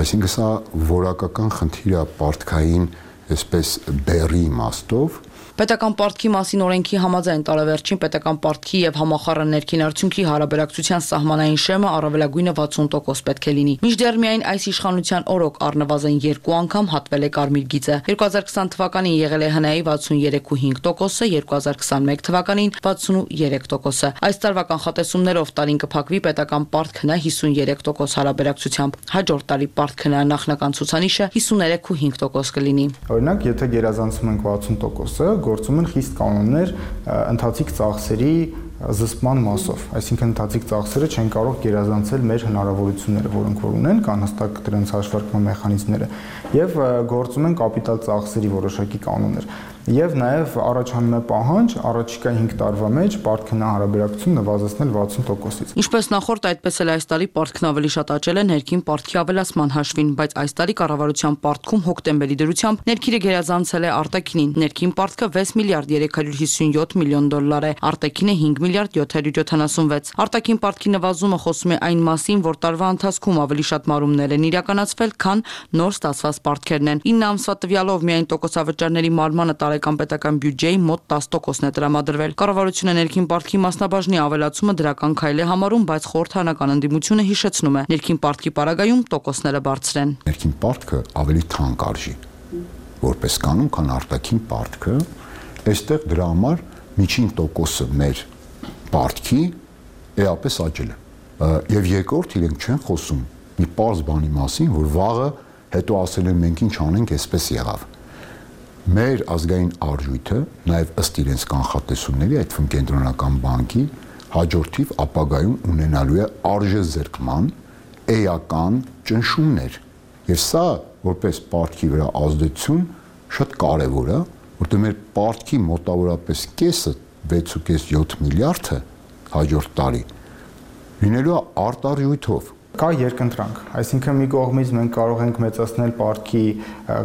Այսինքն սա որակական խնդիր է պարտքային այսպես բեռի իմաստով Պետական պարտքի մասին օրենքի համաձայն տարեվերջին պետական պարտքի եւ համախառն ներքին արդյունքի հարաբերակցության սահմանային շեմը առավելագույնը 60% պետք է լինի։ Մինչդեռ միայն այս իշխանության օրոք առնվազն 2 անգամ հատվել է կարմիր գիծը։ 2020 թվականին եղել է ՀՆԱ-ի 63.5%-ը, 2021 թվականին 63%-ը։ Այս տարվա կանխատեսումներով տարին կփակվի պետական պարտքնա 53% հարաբերակցությամբ։ Հաջորդ տարի պարտքնա նախնական ցուցանիշը 53.5% կլինի։ Օրինակ, եթե գերազանցում ենք 60%-ը, գործում են խիստ կանոններ ընթացիկ ծախսերի զսպման մասով, այսինքն ընթացիկ ծախսերը չեն կարող գերազանցել մեր հնարավորությունները, որոնք որ ունեն, կան հստակ դրանց հաշվարկման մեխանիզմները, եւ գործում են կապիտալ ծախսերի որոշակի կանոններ։ Եվ նաև առաջանում է պահանջ առաջիկա 5 տարվա մեջ պարտքնա հարաբերակցություն նվազեցնել 60%-ից։ Ինչպես նախորդ, այդպես էլ այս տարի պարտքն ավելի շատ աճել է ներքին պարտքի ավելացման հաշվին, բայց այս տարի կառավարության պարտքում հոկտեմբերի դրությամբ ներքինը գերազանցել է արտաքինին։ Ներքին պարտքը 6 միլիարդ 357 միլիոն դոլար է, արտաքինը 5 միլիարդ 776։ Արտաքին պարտքի նվազումը խոսում է այն մասին, որ տարվա ընթացքում ավելի շատ մարումներ են իրականացվել, քան նոր ստացված պարտքերն են։ 9 ամսվա տվյալով միայն տոկոսավճարների մարմանը տարեկան պետական բյուջեի մոտ 10%-ն է տրամադրվել։ Կառավարությունը ներքին պարտքի մասնաբաժնի ավելացումը դրական քայլ է համարում, բայց խորհրդանական ընդդիմությունը հիշեցնում է, ներքին պարտքի պարագայում տոկոսները բարձր են։ Ներքին պարտքը ավելի թանկ արժի, որպես կանոն, քան արտաքին պարտքը, այստեղ դրա համար միջին տոկոսը մեր պարտքի էապես աճել է։ Եվ երկրորդ իրենք չեն խոսում մի պարզ բանի մասին, որ վաղը հետո ասել են մենք ինչ անենք, այսպես եղավ։ Մեր ազգային արժույթը նաև ըստ իրենց կանխատեսումների, այդ թվում կենտրոնական բանկի հաջորդիվ ապագայում ունենալու է արժեզրկման էական ճնշումներ։ Եվ սա որպես պարտքի վրա ազդեցություն շատ կարևոր է, որտեղ մեր պարտքի մոտավորապես կեսը 6.7 միլիարդը հաջորդ տարի լինելու է արտարժույթով։ Կա երկընտրանք, այսինքն մի կողմից մենք կարող ենք մեծացնել պարտքի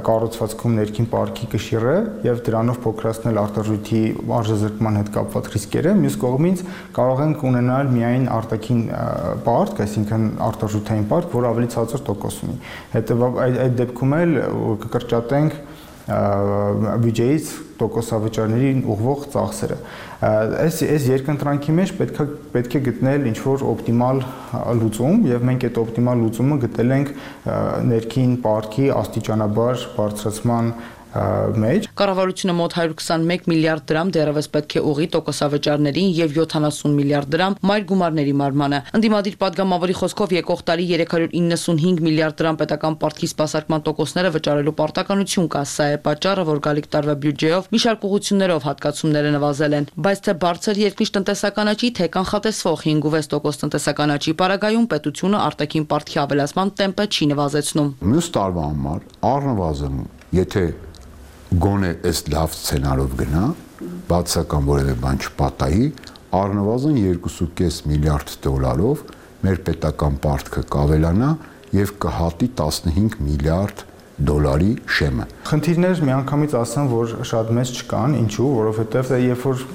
կառուցվածքում ներքին պարտքի կշիռը եւ դրանով փոքրացնել արտարժույթի արժեզրկման հետ կապված ռիսկերը, մյուս կողմից կարող ենք ունենալ միայն արտաքին պարտք, այսինքն արտարժութային պարտք, որ ավելի ցածր տոկոս ունի։ Հետեւաբար այդ դեպքում էլ կկրճատենք բյուջեից տոկոսավճարներին ուղղվող ծախսերը։ Այս երկընտրանքի մեջ պետք է գտնել ինչ-որ օպտիմալ լուծում, եւ մենք այդ օպտիմալ լուծումը գտել ենք ներքին պարտքի աստիճանաբար բարձրացման մեջ։ Կառավարությունը մոտ 121 միլիարդ դրամ դեռևս պետք է ուղղի տոկոսավճարներին եւ 70 միլիարդ դրամ մայր գումարների մարմանը։ Ընդդիմադիր падգամավորի խոսքով եկող տարի 395 միլիարդ դրամ պետական պարտքի սպասարկման տոկոսները վճարելու պարտականություն կա։ Սա է պատճառը, որ գալիք տարվա բյուջեով մի շարք ուղղություններով հատկացումները նվազել են, բայց թե բարձր երկնիշ տնտեսական աճի, թե կանխատեսվող 5.6% տնտեսական աճի պարագայում պետությունը արտաքին պարտքի ավելացման տեմպը չի նվազեցնում։ Մյուս տարվա համար առնվազն, եթե գոնե այս լավ սցենարով գնա, բացական որևէ բան չպատահի, առնվազն 2.5 միլիարդ դոլարով մեր պետական պարտքը կավելանա եւ կհատի 15 միլիարդ դոլարի շեմը։ Խնդիրներ միանգամից ասեմ, որ շատ մեծ չկան, ինչու, որովհետև երբ որ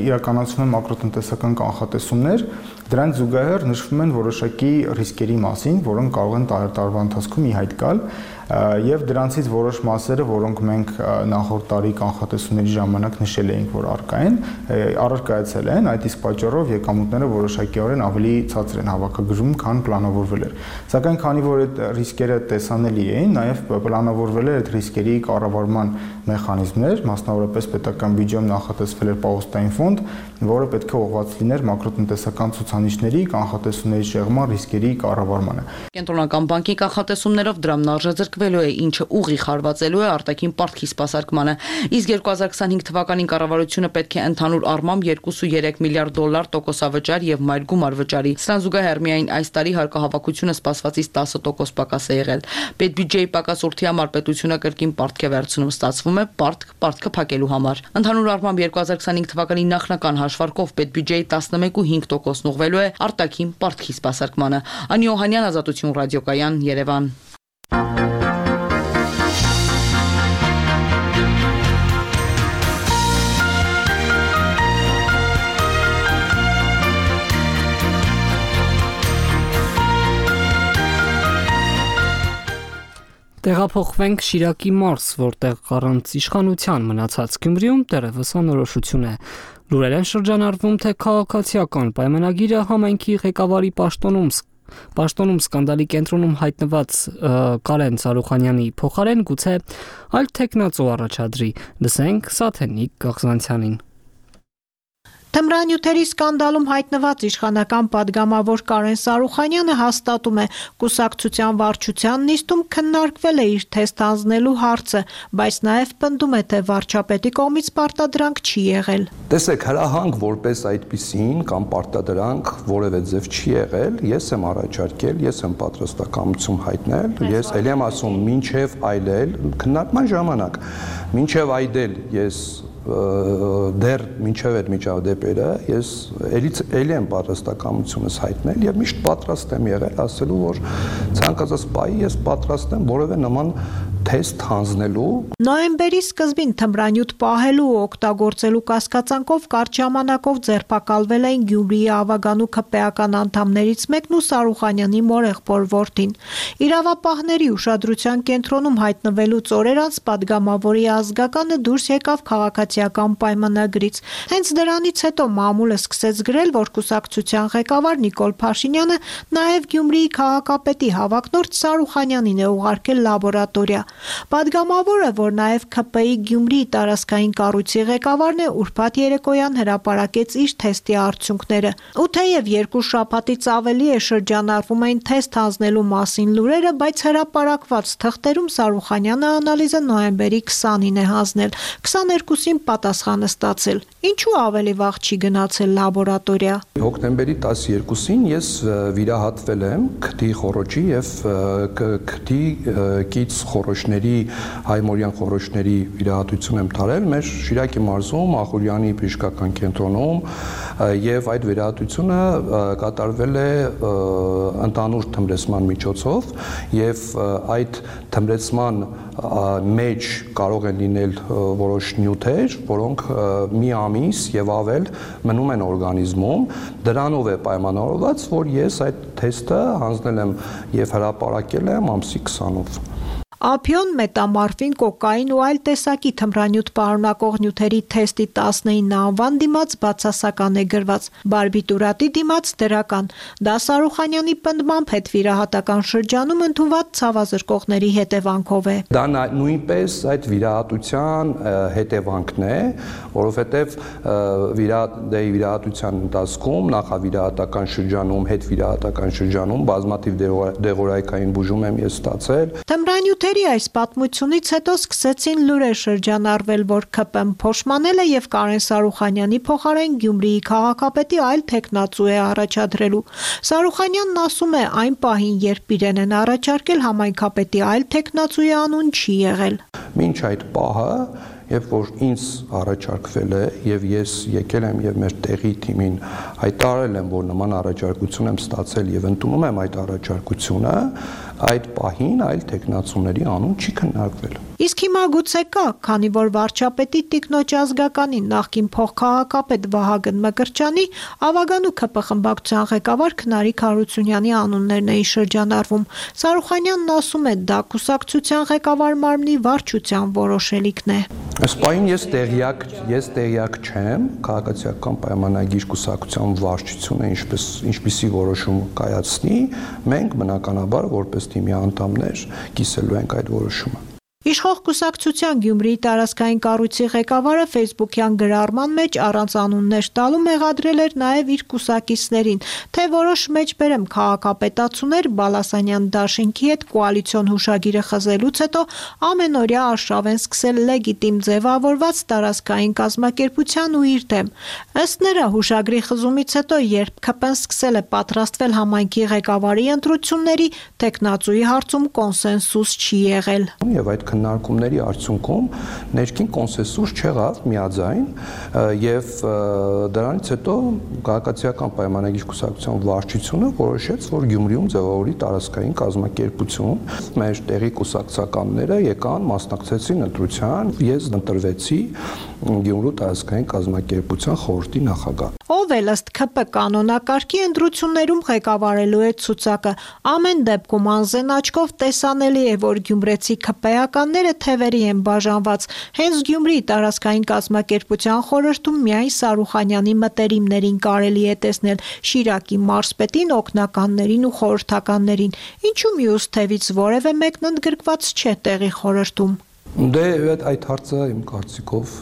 իրականացվում են մակրոտնտեսական կանխատեսումներ, դրանց զուգահեռ նշվում են որոշակի ռիսկերի մասին, որոնք կարող են տարվա ընթացքում ի հայտ գալ, եւ դրանցից որոշ մասերը, որոնք մենք նախորդ տարի կանխատեսումների ժամանակ նշել էինք, որ առկա են, առարկայացել են, այդ իսկ պատճառով եկամուտները որոշակիորեն ավելի ցածր են հավաքագրում, քան պլանավորվել էր։ Սակայն քանի որ այդ ռիսկերը տեսանելի էին, նաեւ պլանավորվել էր այդ ռիսկերի կառավարման մեխանիզմներ, մասնավորապես պետական բյուջեում նախատեսվել էր պահոստային ֆոնդ, որը պետք է ուղղված լիներ մակրոտնտեսական ցուցանիշների, կանխատեսումների շեղման ռիսկերի կառավարմանը։ Կենտրոնական բանկի կանխատեսումներով դրամն արժեզրկվելու է, ինչը ուղիղ հարվածելու է արտաքին պարտքի սպասարկմանը։ Իսկ 2025 թվականին կառավարությունը պետք է ընդհանուր առմամբ 2.3 միլիարդ դոլար տոկոսավճար եւ մայր գումար վճարի։ Սրան զուգահեռ միայն այս տարի հարկահավաքությունը սպասվածից 10% պակաս է եղել։ Պետբյուջեի պակաս ուրթի համար պետությունը կրկին պարտք է վերցնում, ստացվում է պարտքը փակելու համար։ Ընդհանուր առմամբ 2025 թվականի նախնական հաշվարկով պետբյուջեի 11.5%-ն ուղղվելու է արտաքին պարտքի սպասարկմանը։ Անի Օհանյան, Ազատություն ռադիոկայան, Երևան։ Տեղափոխվենք Շիրակի մարզ, որտեղ առանց իշխանության մնացած Գյումրիում դեռևս անորոշություն է։ Լուրեր են շրջանառվում, թե քաղաքացիական պայմանագիրը համայնքի ղեկավարի պաշտոնում սկանդալի կենտրոնում հայտնված Կարեն Սարուխանյանի փոխարեն գուցե այլ տեխնացու առաջադրի։ Լսենք Սաթենիկ Գաղզանցյանին։ Թմրանյութերի սկանդալում հայտնված իշխանական падգամավոր Կարեն Սարուխանյանը հաստատում է, կուսակցության վարչության նիստում քննարկվել է իր թեստ հանձնելու հարցը, բայց նաև պնդում է, թե վարչապետի կողմից պարտադրանք չի եղել։ Տեսեք, հրահանգ որպես այդպիսին կամ պարտադրանք որևէ ձև չի եղել, ես եմ առաջարկել, ես եմ պատրաստակամություն հայտնել, ես ելի եմ ասում, մինչև այլել, քննարկման ժամանակ, մինչև այդել ես դեռ մինչև այդ միջադեպերը ես էլի եմ պատրաստակամությունս հայտնել եւ միշտ պատրաստ եմ եղել ասելու, որ ցանկացած պահի ես պատրաստ եմ որևէ նման թեստ հանձնելու։ Նոյեմբերի սկզբին թմրանյութ պահելու ու օգտագործելու կասկածանքով կարճ ժամանակով ձերբակալվել էին Գյումրիի Ավագանու ՔՊ-ական անդամներից մեկն ու Սարուխանյանի մորեղբոր որդին։ Իրավապահների ուշադրության կենտրոնում հայտնվելուց օրեր անց падգամավորի ազգականը դուրս եկավ քաղաքացիական պայմանագրից։ Հենց դրանից հետո մամուլը սկսեց գրել, որ կուսակցության ղեկավար Նիկոլ Փաշինյանը նաև Գյումրիի քաղաքապետի հավակնորդ Սարուխանյանին է ուղարկել լաբորատորիա։ Падգամավորը, որ նաև ՔՊ-ի Գյումրիի տարածքային կառույցի ղեկավարն է, ուրբաթ երեկոյան հրապարակեց իր թեստի արդյունքները։ Ու թեև երկու շաբաթից ավելի է շրջանառվում այն թեստ հանձնելու մասին լուրերը, բայց հրապարակված թղթերում Սարուխանյանը անալիզը նոյեմբերի 20-ին է հանձնել, 22-ին պատասխանը ստացել։ Ինչու ավելի վաղ չի գնացել լաբորատորիա։ Հոկտեմբերի 12-ին ես վիրահատվել եմ քթի խոռոչի եւ քթի կից խոռոչների հայմորյան խոռոչների վիրահատություն եմ տարել մեր Շիրակի մարզում Ախուրյանի բժշկական կենտրոնում եւ այդ վիրահատությունը կատարվել է ընդհանուր թմրեցման միջոցով եւ այդ թմրեցման մեջ կարող են լինել որոշ նյութեր, որոնք մի ամիս եւ ավել մնում են օրգանիզմում, դրանով է պայմանավորված, որ ես այդ թեստը հանձնել եմ եւ հրապարակել եմ ամսի 20-ով։ Ափիոն, մետամորֆին, կոկային ու այլ տեսակի թմրանյութ պարունակող նյութերի թեստի 19 անվան դիմաց բացասական է գրված, բարբիտուրատի դիմաց դրական։ Դա Սարուխանյանի պնդմամբ հետվիրահատական շրջանում ընդունված ցավազրկողների հետևանքով է։ Դա նույնպես այդ վիրահատության հետևանքն է, որովհետև վիրահատության ընթացքում նախավիրահատական շրջանում, հետվիրահատական շրջանում բազմաթիվ դեղորայքային բուժում եմ ես ստացել։ Թմրանյութ այս պատմությունից հետո սկսեցին լուրեր շրջանառվել, որ ՔՊ-ն փոշմանել է եւ Կարեն Սարուխանյանի փոխարեն Գյումրիի քաղաքապետի այլ տեխնացու է առաջադրելու։ Սարուխանյանն ասում է, այն պահին, երբ իրեն են առաջարկել, համայնքապետի այլ տեխնացուի անուն չի եղել։ Մինչ այդ պահը Երբ որ ինձ առաջարկվել է եւ ես եկել եմ եւ մեր տեղի թիմին հայտարարել եմ, որ նման առաջարկություն եմ ստացել եւ ընդունում եմ այդ առաջարկությունը, այդ պահին այլ տեխնացուների անուն չի քննարկվել։ Իսկ հիմա գուցե կա, քանի որ վարչապետի տիկնոջ ազգականի նախկին փոխքաղաքապետ Վահագն Մկրտչյանի Ավագանու ՔՊ խմբակցության ղեկավար Քնարիկ Հարությունյանի անուններն էին շրջանառվում։ Սարուխանյանն ասում է, դա կուսակցության ղեկավար մարմնի վարչության որոշելիքն է։ Սպային ես տեղյակ չեմ, քաղաքացիական պայմանագիր կուսակցության վարչությունը ինչպիսի որոշում կայացնի, մենք բնականաբար որպես թիմի անդամներ կիսելու ենք այդ որոշումը։ Իշխող կուսակցության Գյումրիի տարածքային կառույցի ղեկավարը Facebook-յան գրառման մեջ առանց անուններ տալու մեղադրել էր նաև իր կուսակիցներին, թե որոշ մեջբերեմ քաղաքապետացուներ Բալասանյան դաշինքի հետ կոալիցիոն հուշագիրը խզելուց հետո ամենօրյա արշավ են սկսել լեգիտիմ ձևավորված տարածքային կազմակերպության ու իր դեմ։ Ըստ նրա հուշագրի խզումից հետո, երբ ՔՊ-ն սկսել է պատրաստվել համայնքի ղեկավարի ընտրությունների, տեխնացուի հարցում կոնսենսուս չի եղել։ Եվ այդ քննարկումների արդյունքում ներքին կոնսենսուս չեղավ միաձայն եւ դրանից հետո քաղաքացիական պայմանագիր կուսակցության վարչությունը որոշեց, որ Գյումրիում ձևավորի տարածքային կազմակերպություն։ Մեր տեղի կուսակցականները եկան, մասնակցեցին ընտրության, ես ընտրվեցի Գյումրու տարածքային կազմակերպության խորհրդի նախագահ։ Ով էլ ըստ ՔՊ կանոնակարգի ընտրություններում ղեկավարելու է ցուցակը։ Ամեն դեպքում անզեն աչքով տեսանելի է, որ գյումրեցի ՔՊ-ականները թևերի են բաժանված։ Հենց Գյումրիի տարածքային կազմակերպության խորհրդում միայն Սարուխանյանի մտերիմներին կարելի է տեսնել, Շիրակի մարզպետին, օգնականներին ու խորհրդականներին։ Ինչու մյուս թևից որևէ մեկն ընդգրկված չէ տեղի խորհրդում։ Դե այդ հարցը իմ կարծիքով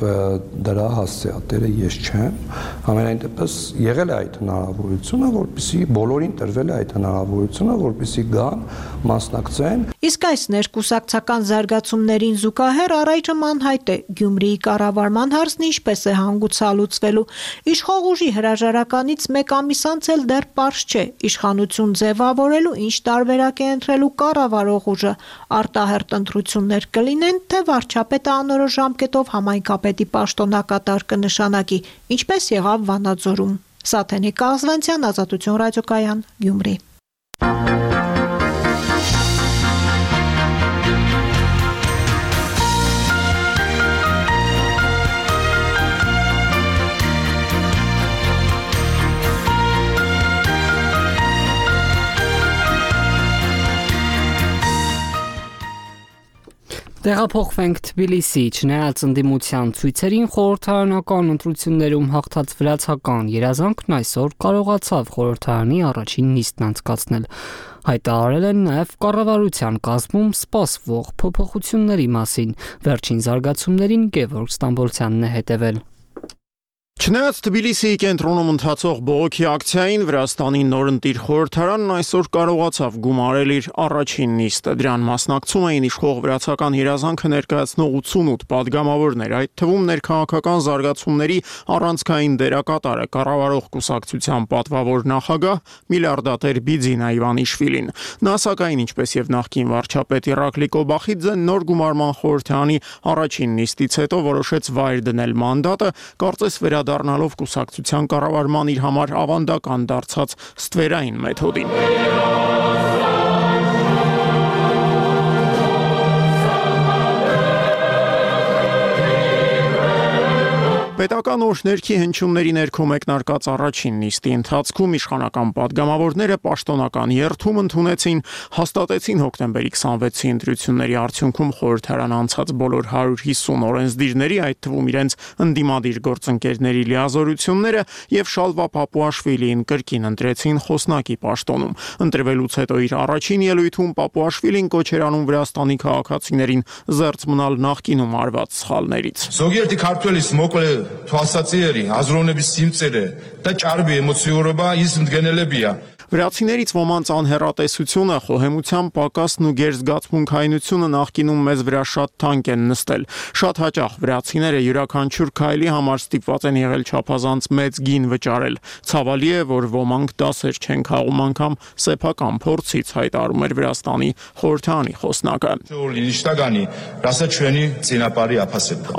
դրա հասցեատերը ես չեմ, ամենայն դեպս եղել է այդ հնարավորությունը, որպեսզի բոլորին տրվել է այդ հնարավորությունը, որպեսզի գան, մասնակցեն։ Իսկ այս ներկուսակցական զարգացումներին զուգահեռ առայժմ անհայտ է Գյումրիի կառավարման հարցն ինչպես է հանգուցալուծվելու։ Իշխող ուժի հրաժարականից մեկ ամիս անց էլ դեռ պարզ չէ իշխանություն ձևավորելու ինչ տարբերակ է ընտրելու կառավարող ուժը։ Արտահերթ ընտրություններ կլինեն, թե վարչապետը անորոշ ժամկետով համայնքապետի պաշտոնակատար կնշանակի, ինչպես եղավ Վանաձորում։ Սաթենիկ Աղզվանցյան, Ազատություն ռադիոկայան, Գյումրի։ Տեղափոխվենք Թբիլիսի, չնայած ընդդիմության ցույցերին խորհրդարանական ընտրություններում հաղթած վրացական երազանքն այսօր կարողացավ խորհրդարանի առաջին նիստն անցկացնել։ Հայտարարել են նաև կառավարության կազմում սպասվող փոփոխությունների մասին։ Վերջին զարգացումներին Գևորգ Ստամբոլցյանն է հետևել։ Չնայած Թբիլիսիի կենտրոնում ընթացող բողոքի ակցիային Վրաստանի նորընտիր խորհրդարանն այսօր կարողացավ գումարել իր առաջին նիստը։ Դրան մասնակցում էին իշխող վրացական երազանքը ներկայացնող 88 падգամավորներ, այդ թվում ներքաղաքական զարգացումների առանցքային դերակատարը կառավարող կուսակցության պատվավոր նախագահ միլիարդատեր Բիձինա Իվանիշվիլին։ Նա սակայն ինչպես եւ նախկին վարչապետ Իրակլի Կոբախիձեն նոր գումարման խորհրդարանի առաջին նիստից հետո որոշեց վայր դնել մանդատը, կարծես դառնալով կուսակցության կառավարման իր համար ավանդական դարձած ստվերային մեթոդին։ Պետական օրհներքի հնչյունների ներքո մեկնարկած առաջին նիստի ընթացքում իշխանական падգամավորները պաշտոնական երթում ընդունեցին, հաստատեցին հոկտեմբերի 26-ի ընտրությունների արդյունքում խորհրդարան անցած բոլոր 150 օրենսդիրների, այդ թվում իրենց ընդդիմադիր գործընկերների լիազորությունները եւ Շալվա Պապուաշվիլիին կրկին ընտրեցին խոսնակի պաշտոնում։ Ընտրվելուց հետո իր առաջին ելույթում Պապուաշվիլին կոչ էր անում Վրաստանի քաղաքացիներին զերծ մնալ նախկինում արված սխալներից։ Զոգերտի քարտուելիս մոկլե Թվասացիերի, ազրոնების սիմծերը, դա ճարբի էմոցիորոբա իս ընդգնել է բիա։ Վրացիներից ոմանց անհեռատեսությունը, խոհեմության պակասն ու գերզգացմունքայնությունը նախկինում մեզ վրա շատ թանկ են նստել։ Շատ հաճախ վրացիները յուրաքանչյուր քայլի համար ստիպված են եղել չափազանց մեծ գին վճարել։ Ցավալի է, որ ոմանք դասեր չեն քաղում անգամ սեփական փորձից, հայտարարում էր Վրաստանի խորհրդարանի խոսնակը։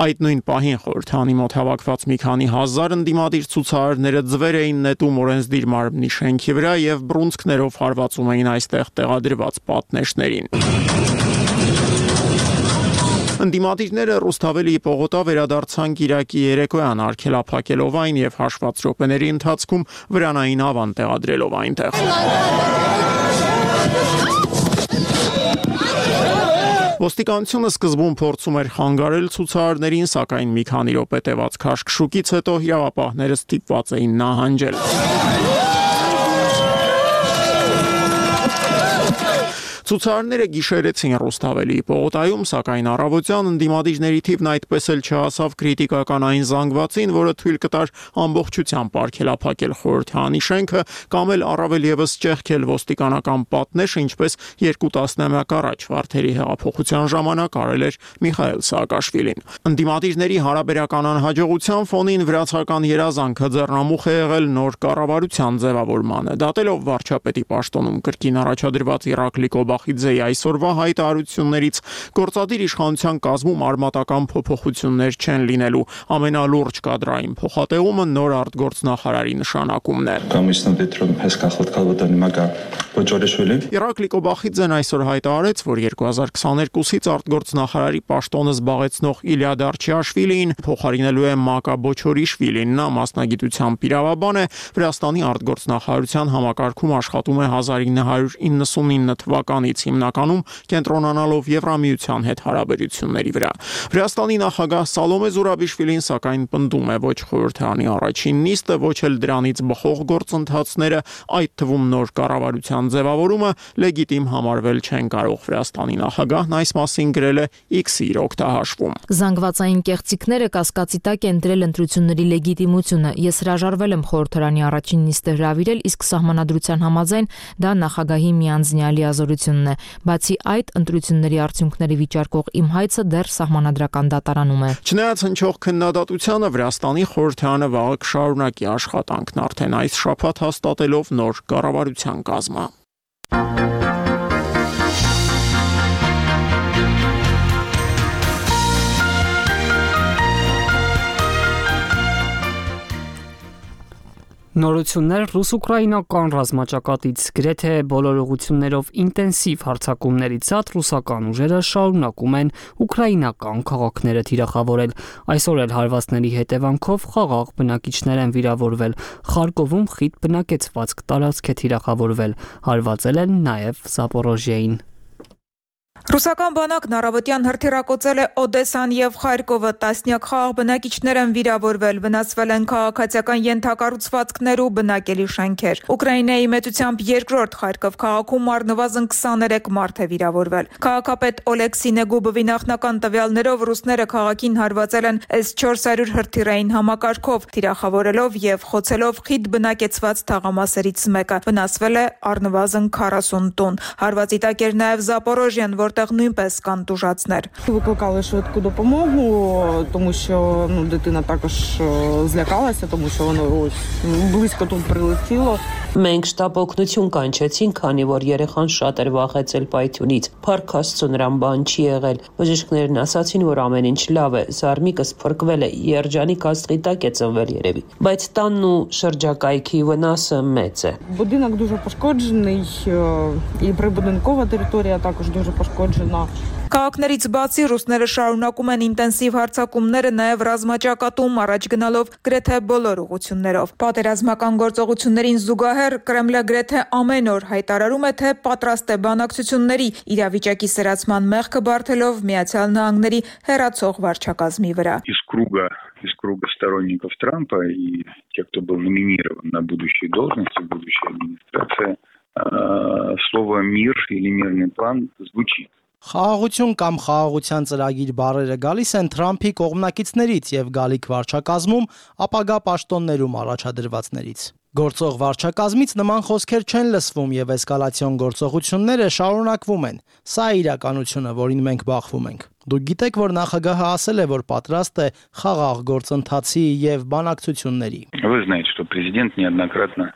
Այդ նույն պահին խորհրդարանի մոտ հավաքված մի քանի հազար ընդդիմադիր ցուցարարները ձվեր էին նետում օրենսդիր մարմնի շենքի վրա եւ բռունցքներով հարվածում էին այստեղ տեղադրված պատնեշներին։ Ընդդիմադիրները Ռուսթավելի պողոտա վերադարձան Կիրակի երեկոյան արգելափակելով այն եւ հաշված րոպեների ընթացքում վրանային ավան տեղադրելով այնտեղ։ Ոստիկանությունը սկզբում փորձում էր խանգարել ցուցարարներին, սակայն մի քանի րոպե տևած քաշքշուկից հետո իրավապահները ստիպված էին նահանջել։ Ցուցարարները գիշերեցին Ռուսթավելի պողոտայում, սակայն առավոտյան ընդդիմադիրների թիվն այդպես էլ չհասավ քրիտիկական այն զանգվածին, որը թույլ կտար ամբողջությամբ արգելափակել խորհրդարանի շենքը կամ էլ առավել եւս ճեղքել ոստիկանական պատնեշը, ինչպես 2 տասնամյակ առաջ Վարդերի հեղափոխության ժամանակ արել էր Միխայել Սաակաշվիլին։ Ընդդիմադիրների հարաբերական անհաջողության ֆոնին վրացական երազանքը ձեռնամուխ է եղել նոր կառավարության ձևավորմանը, դատելով վարչապետի պաշտոնում կրկին առաջադրված Իրակլի Բախիձեի այսօրվա հայտարարություններից գործադիր իշխանության կազմում արմատական փոփոխություններ չեն լինելու։ Ամենալուրջ կադրային փոխատեղումը նոր արտգործնախարարի նշանակումն է։ Իռակլի Կոբախիձեն այսօր հայտարարեց, որ 2022-ից արտգործնախարարի պաշտոնը զբաղեցնող Իլիա Դարչիաշվիլին փոխարինելու է Մակա Բոչորիշվիլին։ Նա մասնագիտությամբ իրավաբան է, Վրաստանի արտգործնախարարության համակարգում աշխատում է 1999 թվականից, հիմնականում կենտրոնանալով Եվրամիության հետ հարաբերությունների վրա։ Վրաստանի նախագահ Սալոմե Զուրաբիշվիլին սակայն պնդում է ոչ խորհրդարանի առաջին նիստը, ոչ էլ դրանից բխող գործընթացները, այդ թվում նոր կառավարության ձևավորումը լեգիտիմ համարվել չեն կարող։ Վրաստանի նախագահն այս մասին գրել է X-ի իր օգտահաշվում։ Զանգվածային կեղծիքները կասկածի տակ են դրել ընտրությունների լեգիտիմությունը։ Ես հրաժարվել եմ խորհրդարանի առաջին նիստը հրավիրել, իսկ սահմանադրության համաձայն դա նախագահի միանձնյա լիազորությունն է։ Բացի այդ, ընտրությունների արդյունքների վիճարկող իմ հայցը դեռ սահմանադրական դատարանում է։ Չնայած հնչող քննադատությանը, Վրաստանի խորհրդարանը վաղը կշարունակի աշխատանքն արդեն այս շաբաթ հաստատելով նոր կառավարության կազմը։ Նորություններ ռուս-ուկրաինական ռազմաճակատից գրեթե բոլոր ուղղություններով ինտենսիվ հարձակումներից ցած ռուսական ուժերը շարունակում են ուկրաինական քաղաքները թիրախավորել։ Այսօր էլ հարվածների հետևանքով խաղաղ բնակիչներ են վիրավորվել։ Խարկովում խիտ բնակեցվածք տարածք է թիրախավորվել։ Հարվածել են նաև Զապորոժիային։ Ռուսական բանակն առավոտյան հրթիռակոծել է Օդեսան եւ Խարկովը, տասնյակ խաղաղ բնակիչներ են վիրավորվել, վնասվել են քաղաքացիական ենթակառուցվածքներ ու բնակելի շենքեր։ Ուկրաինայի մեծությամբ երկրորդ Խարկով քաղաքում առնվազն 23 մարդ է վիրավորվել։ Քաղաքապետ Օլեքսի Նեգուբովի նախնական տվյալներով ռուսները քաղաքին հարվածել են S-400 հրթիռային համակարգով, թիրախավորելով եւ խոցելով խիտ բնակեցված թաղամասերից մեկը։ Վնասվել է առնվազն 40 տուն։ Հարվածի տակ էր նաեւ Զապորոժիան, որտեղ нույնպես կան տուժածներ։ Викликали швидку допомогу, тому що дитина також злякалася, тому що воно близько тут прилетіло. Մենք շտապ օգնություն կանչեցինք, քանի որ երեխան շատ էր վախեցել պայթյունից։ Փառք Աստծո, նրան բան չի եղել։ Բժիշկներն ասացին, որ ամեն ինչ լավ է, զարմիկս փրկվել է, երջանիկ աստղի տակ է ծնվել երևի։ Բայց տանն ու շրջակայքի վնասը մեծ է։ Будинок дуже пошкоджений, і прибудинкова територія також дуже пошкоджена. Քաղաքներից բացի ռուսները շարունակում են ինտենսիվ հարձակումները նաև ռազմաճակատում, առաջ գնալով գրեթե բոլոր ուղղություններով։ Պատերազմական գործողություններին զուգահեռ Կրեմլը գրեթե ամեն օր հայտարարում է, թե պատրաստ է բանակցությունների, իրավիճակի սրացման մեղքը բարթելով Միացյալ Նահանգների հեռացող վարչակազմի վրա։ Из круга сторонников Трампа и тех, кто был номинирован на будущие должности, будущая администрация, слово «мир» или «мирный план» звучит. Խաղաղություն կամ խաղաղության ծրագիր բառերը գալիս են Թրամփի կողմնակիցներից եւ գալիք վարչակազմում ապագա պաշտոններում առաջադրվածներից։ Գործող վարչակազմից նման խոսքեր չեն լսվում եւ էսկալացիոն գործողությունները շարունակվում են։ Սա է իրականությունը, որին մենք բախվում ենք։ Դուք գիտեք, որ նախագահը ասել է, որ պատրաստ է խաղաղ գործընթացի եւ բանակցությունների։ Вы знаете, что президент неоднократно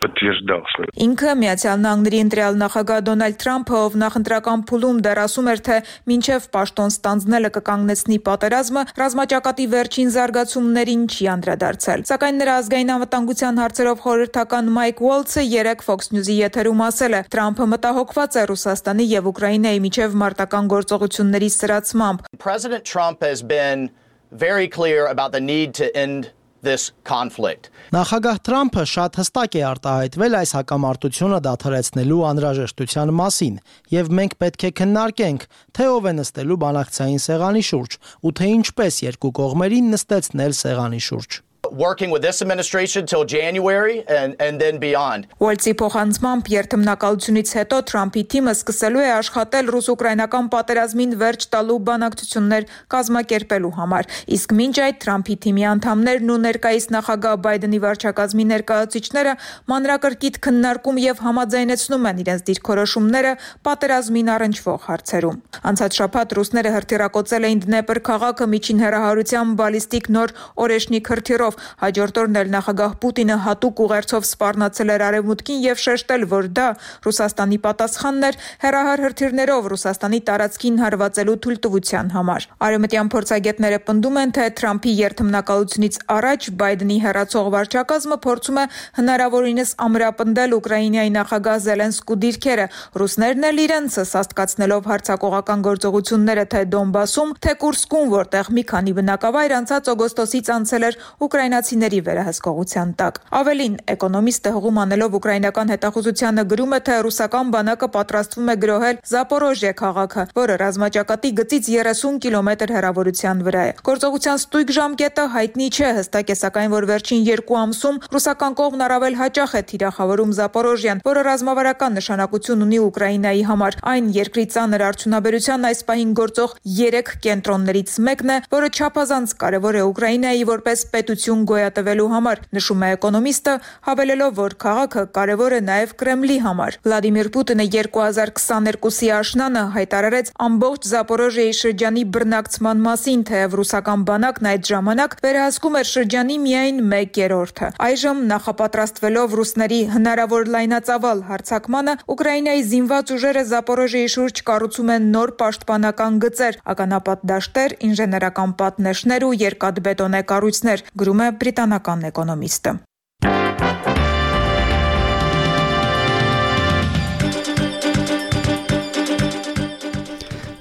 подтверждал свое. Ինքը Միացյալ Նահանգների ընտրյալ նախագահ Դոնալդ Թրամփը, ով նախընտրական փուլում դեռ ասում էր, թե մինչև պաշտոն ստանձնելը կկանգնեցնի պատերազմը, ռազմաճակատի վերջին զարգացումներին չի անդրադարձել։ Սակայն նրա ազգային անվտանգության հարցերով խորհրդական Մայք Ուոլցը երեկ Fox News-ի եթերում ասել է. Թրամփը մտահոգված է Ռուսաստանի եւ Ուկրաինայի միջև մարտական գործողությունների սրացմամբ։ President Trump has been very clear about the need to end this conflict. Նախագահ Թրամփը շատ հստակ է արտահայտվել այս հակամարտությունը դադարեցնելու անհրաժեշտության մասին, եւ մենք պետք է քննարկենք, թե ով է նստելու բանակցային սեղանի շուրջ ու թե ինչպես երկու կողմերին նստեցնել սեղանի շուրջ։ Working with this administration till January and then beyond. Ուոլցի փոխանցմամբ երթմնակալությունից հետո Թրամփի թիմը սկսելու է աշխատել ռուս-ուկրաինական պատերազմին վերջ տալու բանակցություններ կազմակերպելու համար։ Իսկ մինչ այդ Թրամփի թիմի անդամներն ու ներկայիս նախագահ Բայդենի վարչակազմի ներկայացուցիչները մանրակրկիտ քննարկում եւ համաձայնեցնում են իրենց դիրքորոշումները պատերազմին առնչվող հարցերում։ Անցած շաբաթ ռուսները հրթիռակոծել էին Դնեպր քաղաքը միջին հեռահարությամբ բալիստիկ նոր օրեշնիկ հրթիռով, Հաջորդ օրն էլ նախագահ Պուտինը հատուկ ուղերձով սպառնացել էր Արևմուտքին եւ շեշտել, որ դա Ռուսաստանի պատասխանն էր հեռահար հրթիռներով Ռուսաստանի տարածքին հարվածելու թույլտվության համար։ Արևմտյան փորձագետները պնդում են, թե Թրամփի երթմնակալությունից առաջ Բայդենի հեռացող վարչակազմը փորձում է հնարավորինս ամրապնդել Ուկրաինայի նախագահ Զելենսկու դիրքերը, ռուսներն էլ իրենցը սաստկացնելով հարձակողական գործողությունները թե Դոնբասում, թե Կուրսկում, որտեղ մի քանի բնակավայր անցած օգոստոսից անցել էր ուկրաինացիների վերահսկողության տակ։ Ավելին, Էկոնոմիստը հղում անելով ուկրաինական հետախուզությանը գրում է, թե ռուսական բանակը պատրաստվում է գրոհել Զապորոժիե քաղաքը, որը ռազմաճակատի գծից 30 կիլոմետր հեռավորության վրա է։ Գործողության ստույգ ժամկետը հայտնի չէ, հստակ է սակայն, որ վերջին 2 ամսում ռուսական կողմն առավել հաճախ է թիրախավորում Զապորոժիան, որը ռազմավարական նշանակություն ունի Ուկրաինայի համար։ Այն երկրի ծանր արդյունաբերության այս պահին գործող 3 կենտրոններից մեկն է, որը չափազանց կարևոր է Ուկրաինայի որպես պետություն գոյատևելու համար, նշում է Էկոնոմիստը, հավելելով, որ քաղաքը կարևոր է նաև Կրեմլի համար։ Վլադիմիր Պուտինը 2022-ի աշնանը հայտարարեց ամբողջ Զապորոժիայի շրջանի բռնակցման մասին, թեև ռուսական բանակն այդ ժամանակ վերահսկում էր շրջանի միայն 1/3-ը։ Այժմ նախապատրաստվելով ռուսների հնարավոր լայնածավալ հարձակմանը, Ուկրաինայի զինված ուժերը Զապորոժիայի շուրջ կառուցում են նոր պաշտպանական գծեր, ականապատ դաշտեր, ինժեներական պատնեշներ ու երկաթբետոնե կառույցներ, գրում է բրիտանական Էկոնոմիստը։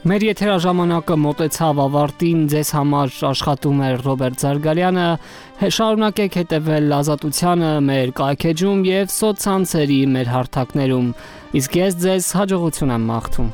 Մեր եթերաժամանակը մոտեցավ ավարտին, ձեզ համար աշխատում էր Ռոբերտ Զարգալյանը, շարունակեք հետևել Ազատությանը մեր կայքեջում եւ սոցցանցերի մեր հարթակներում, իսկ ես ձեզ հաջողություն եմ մաղթում։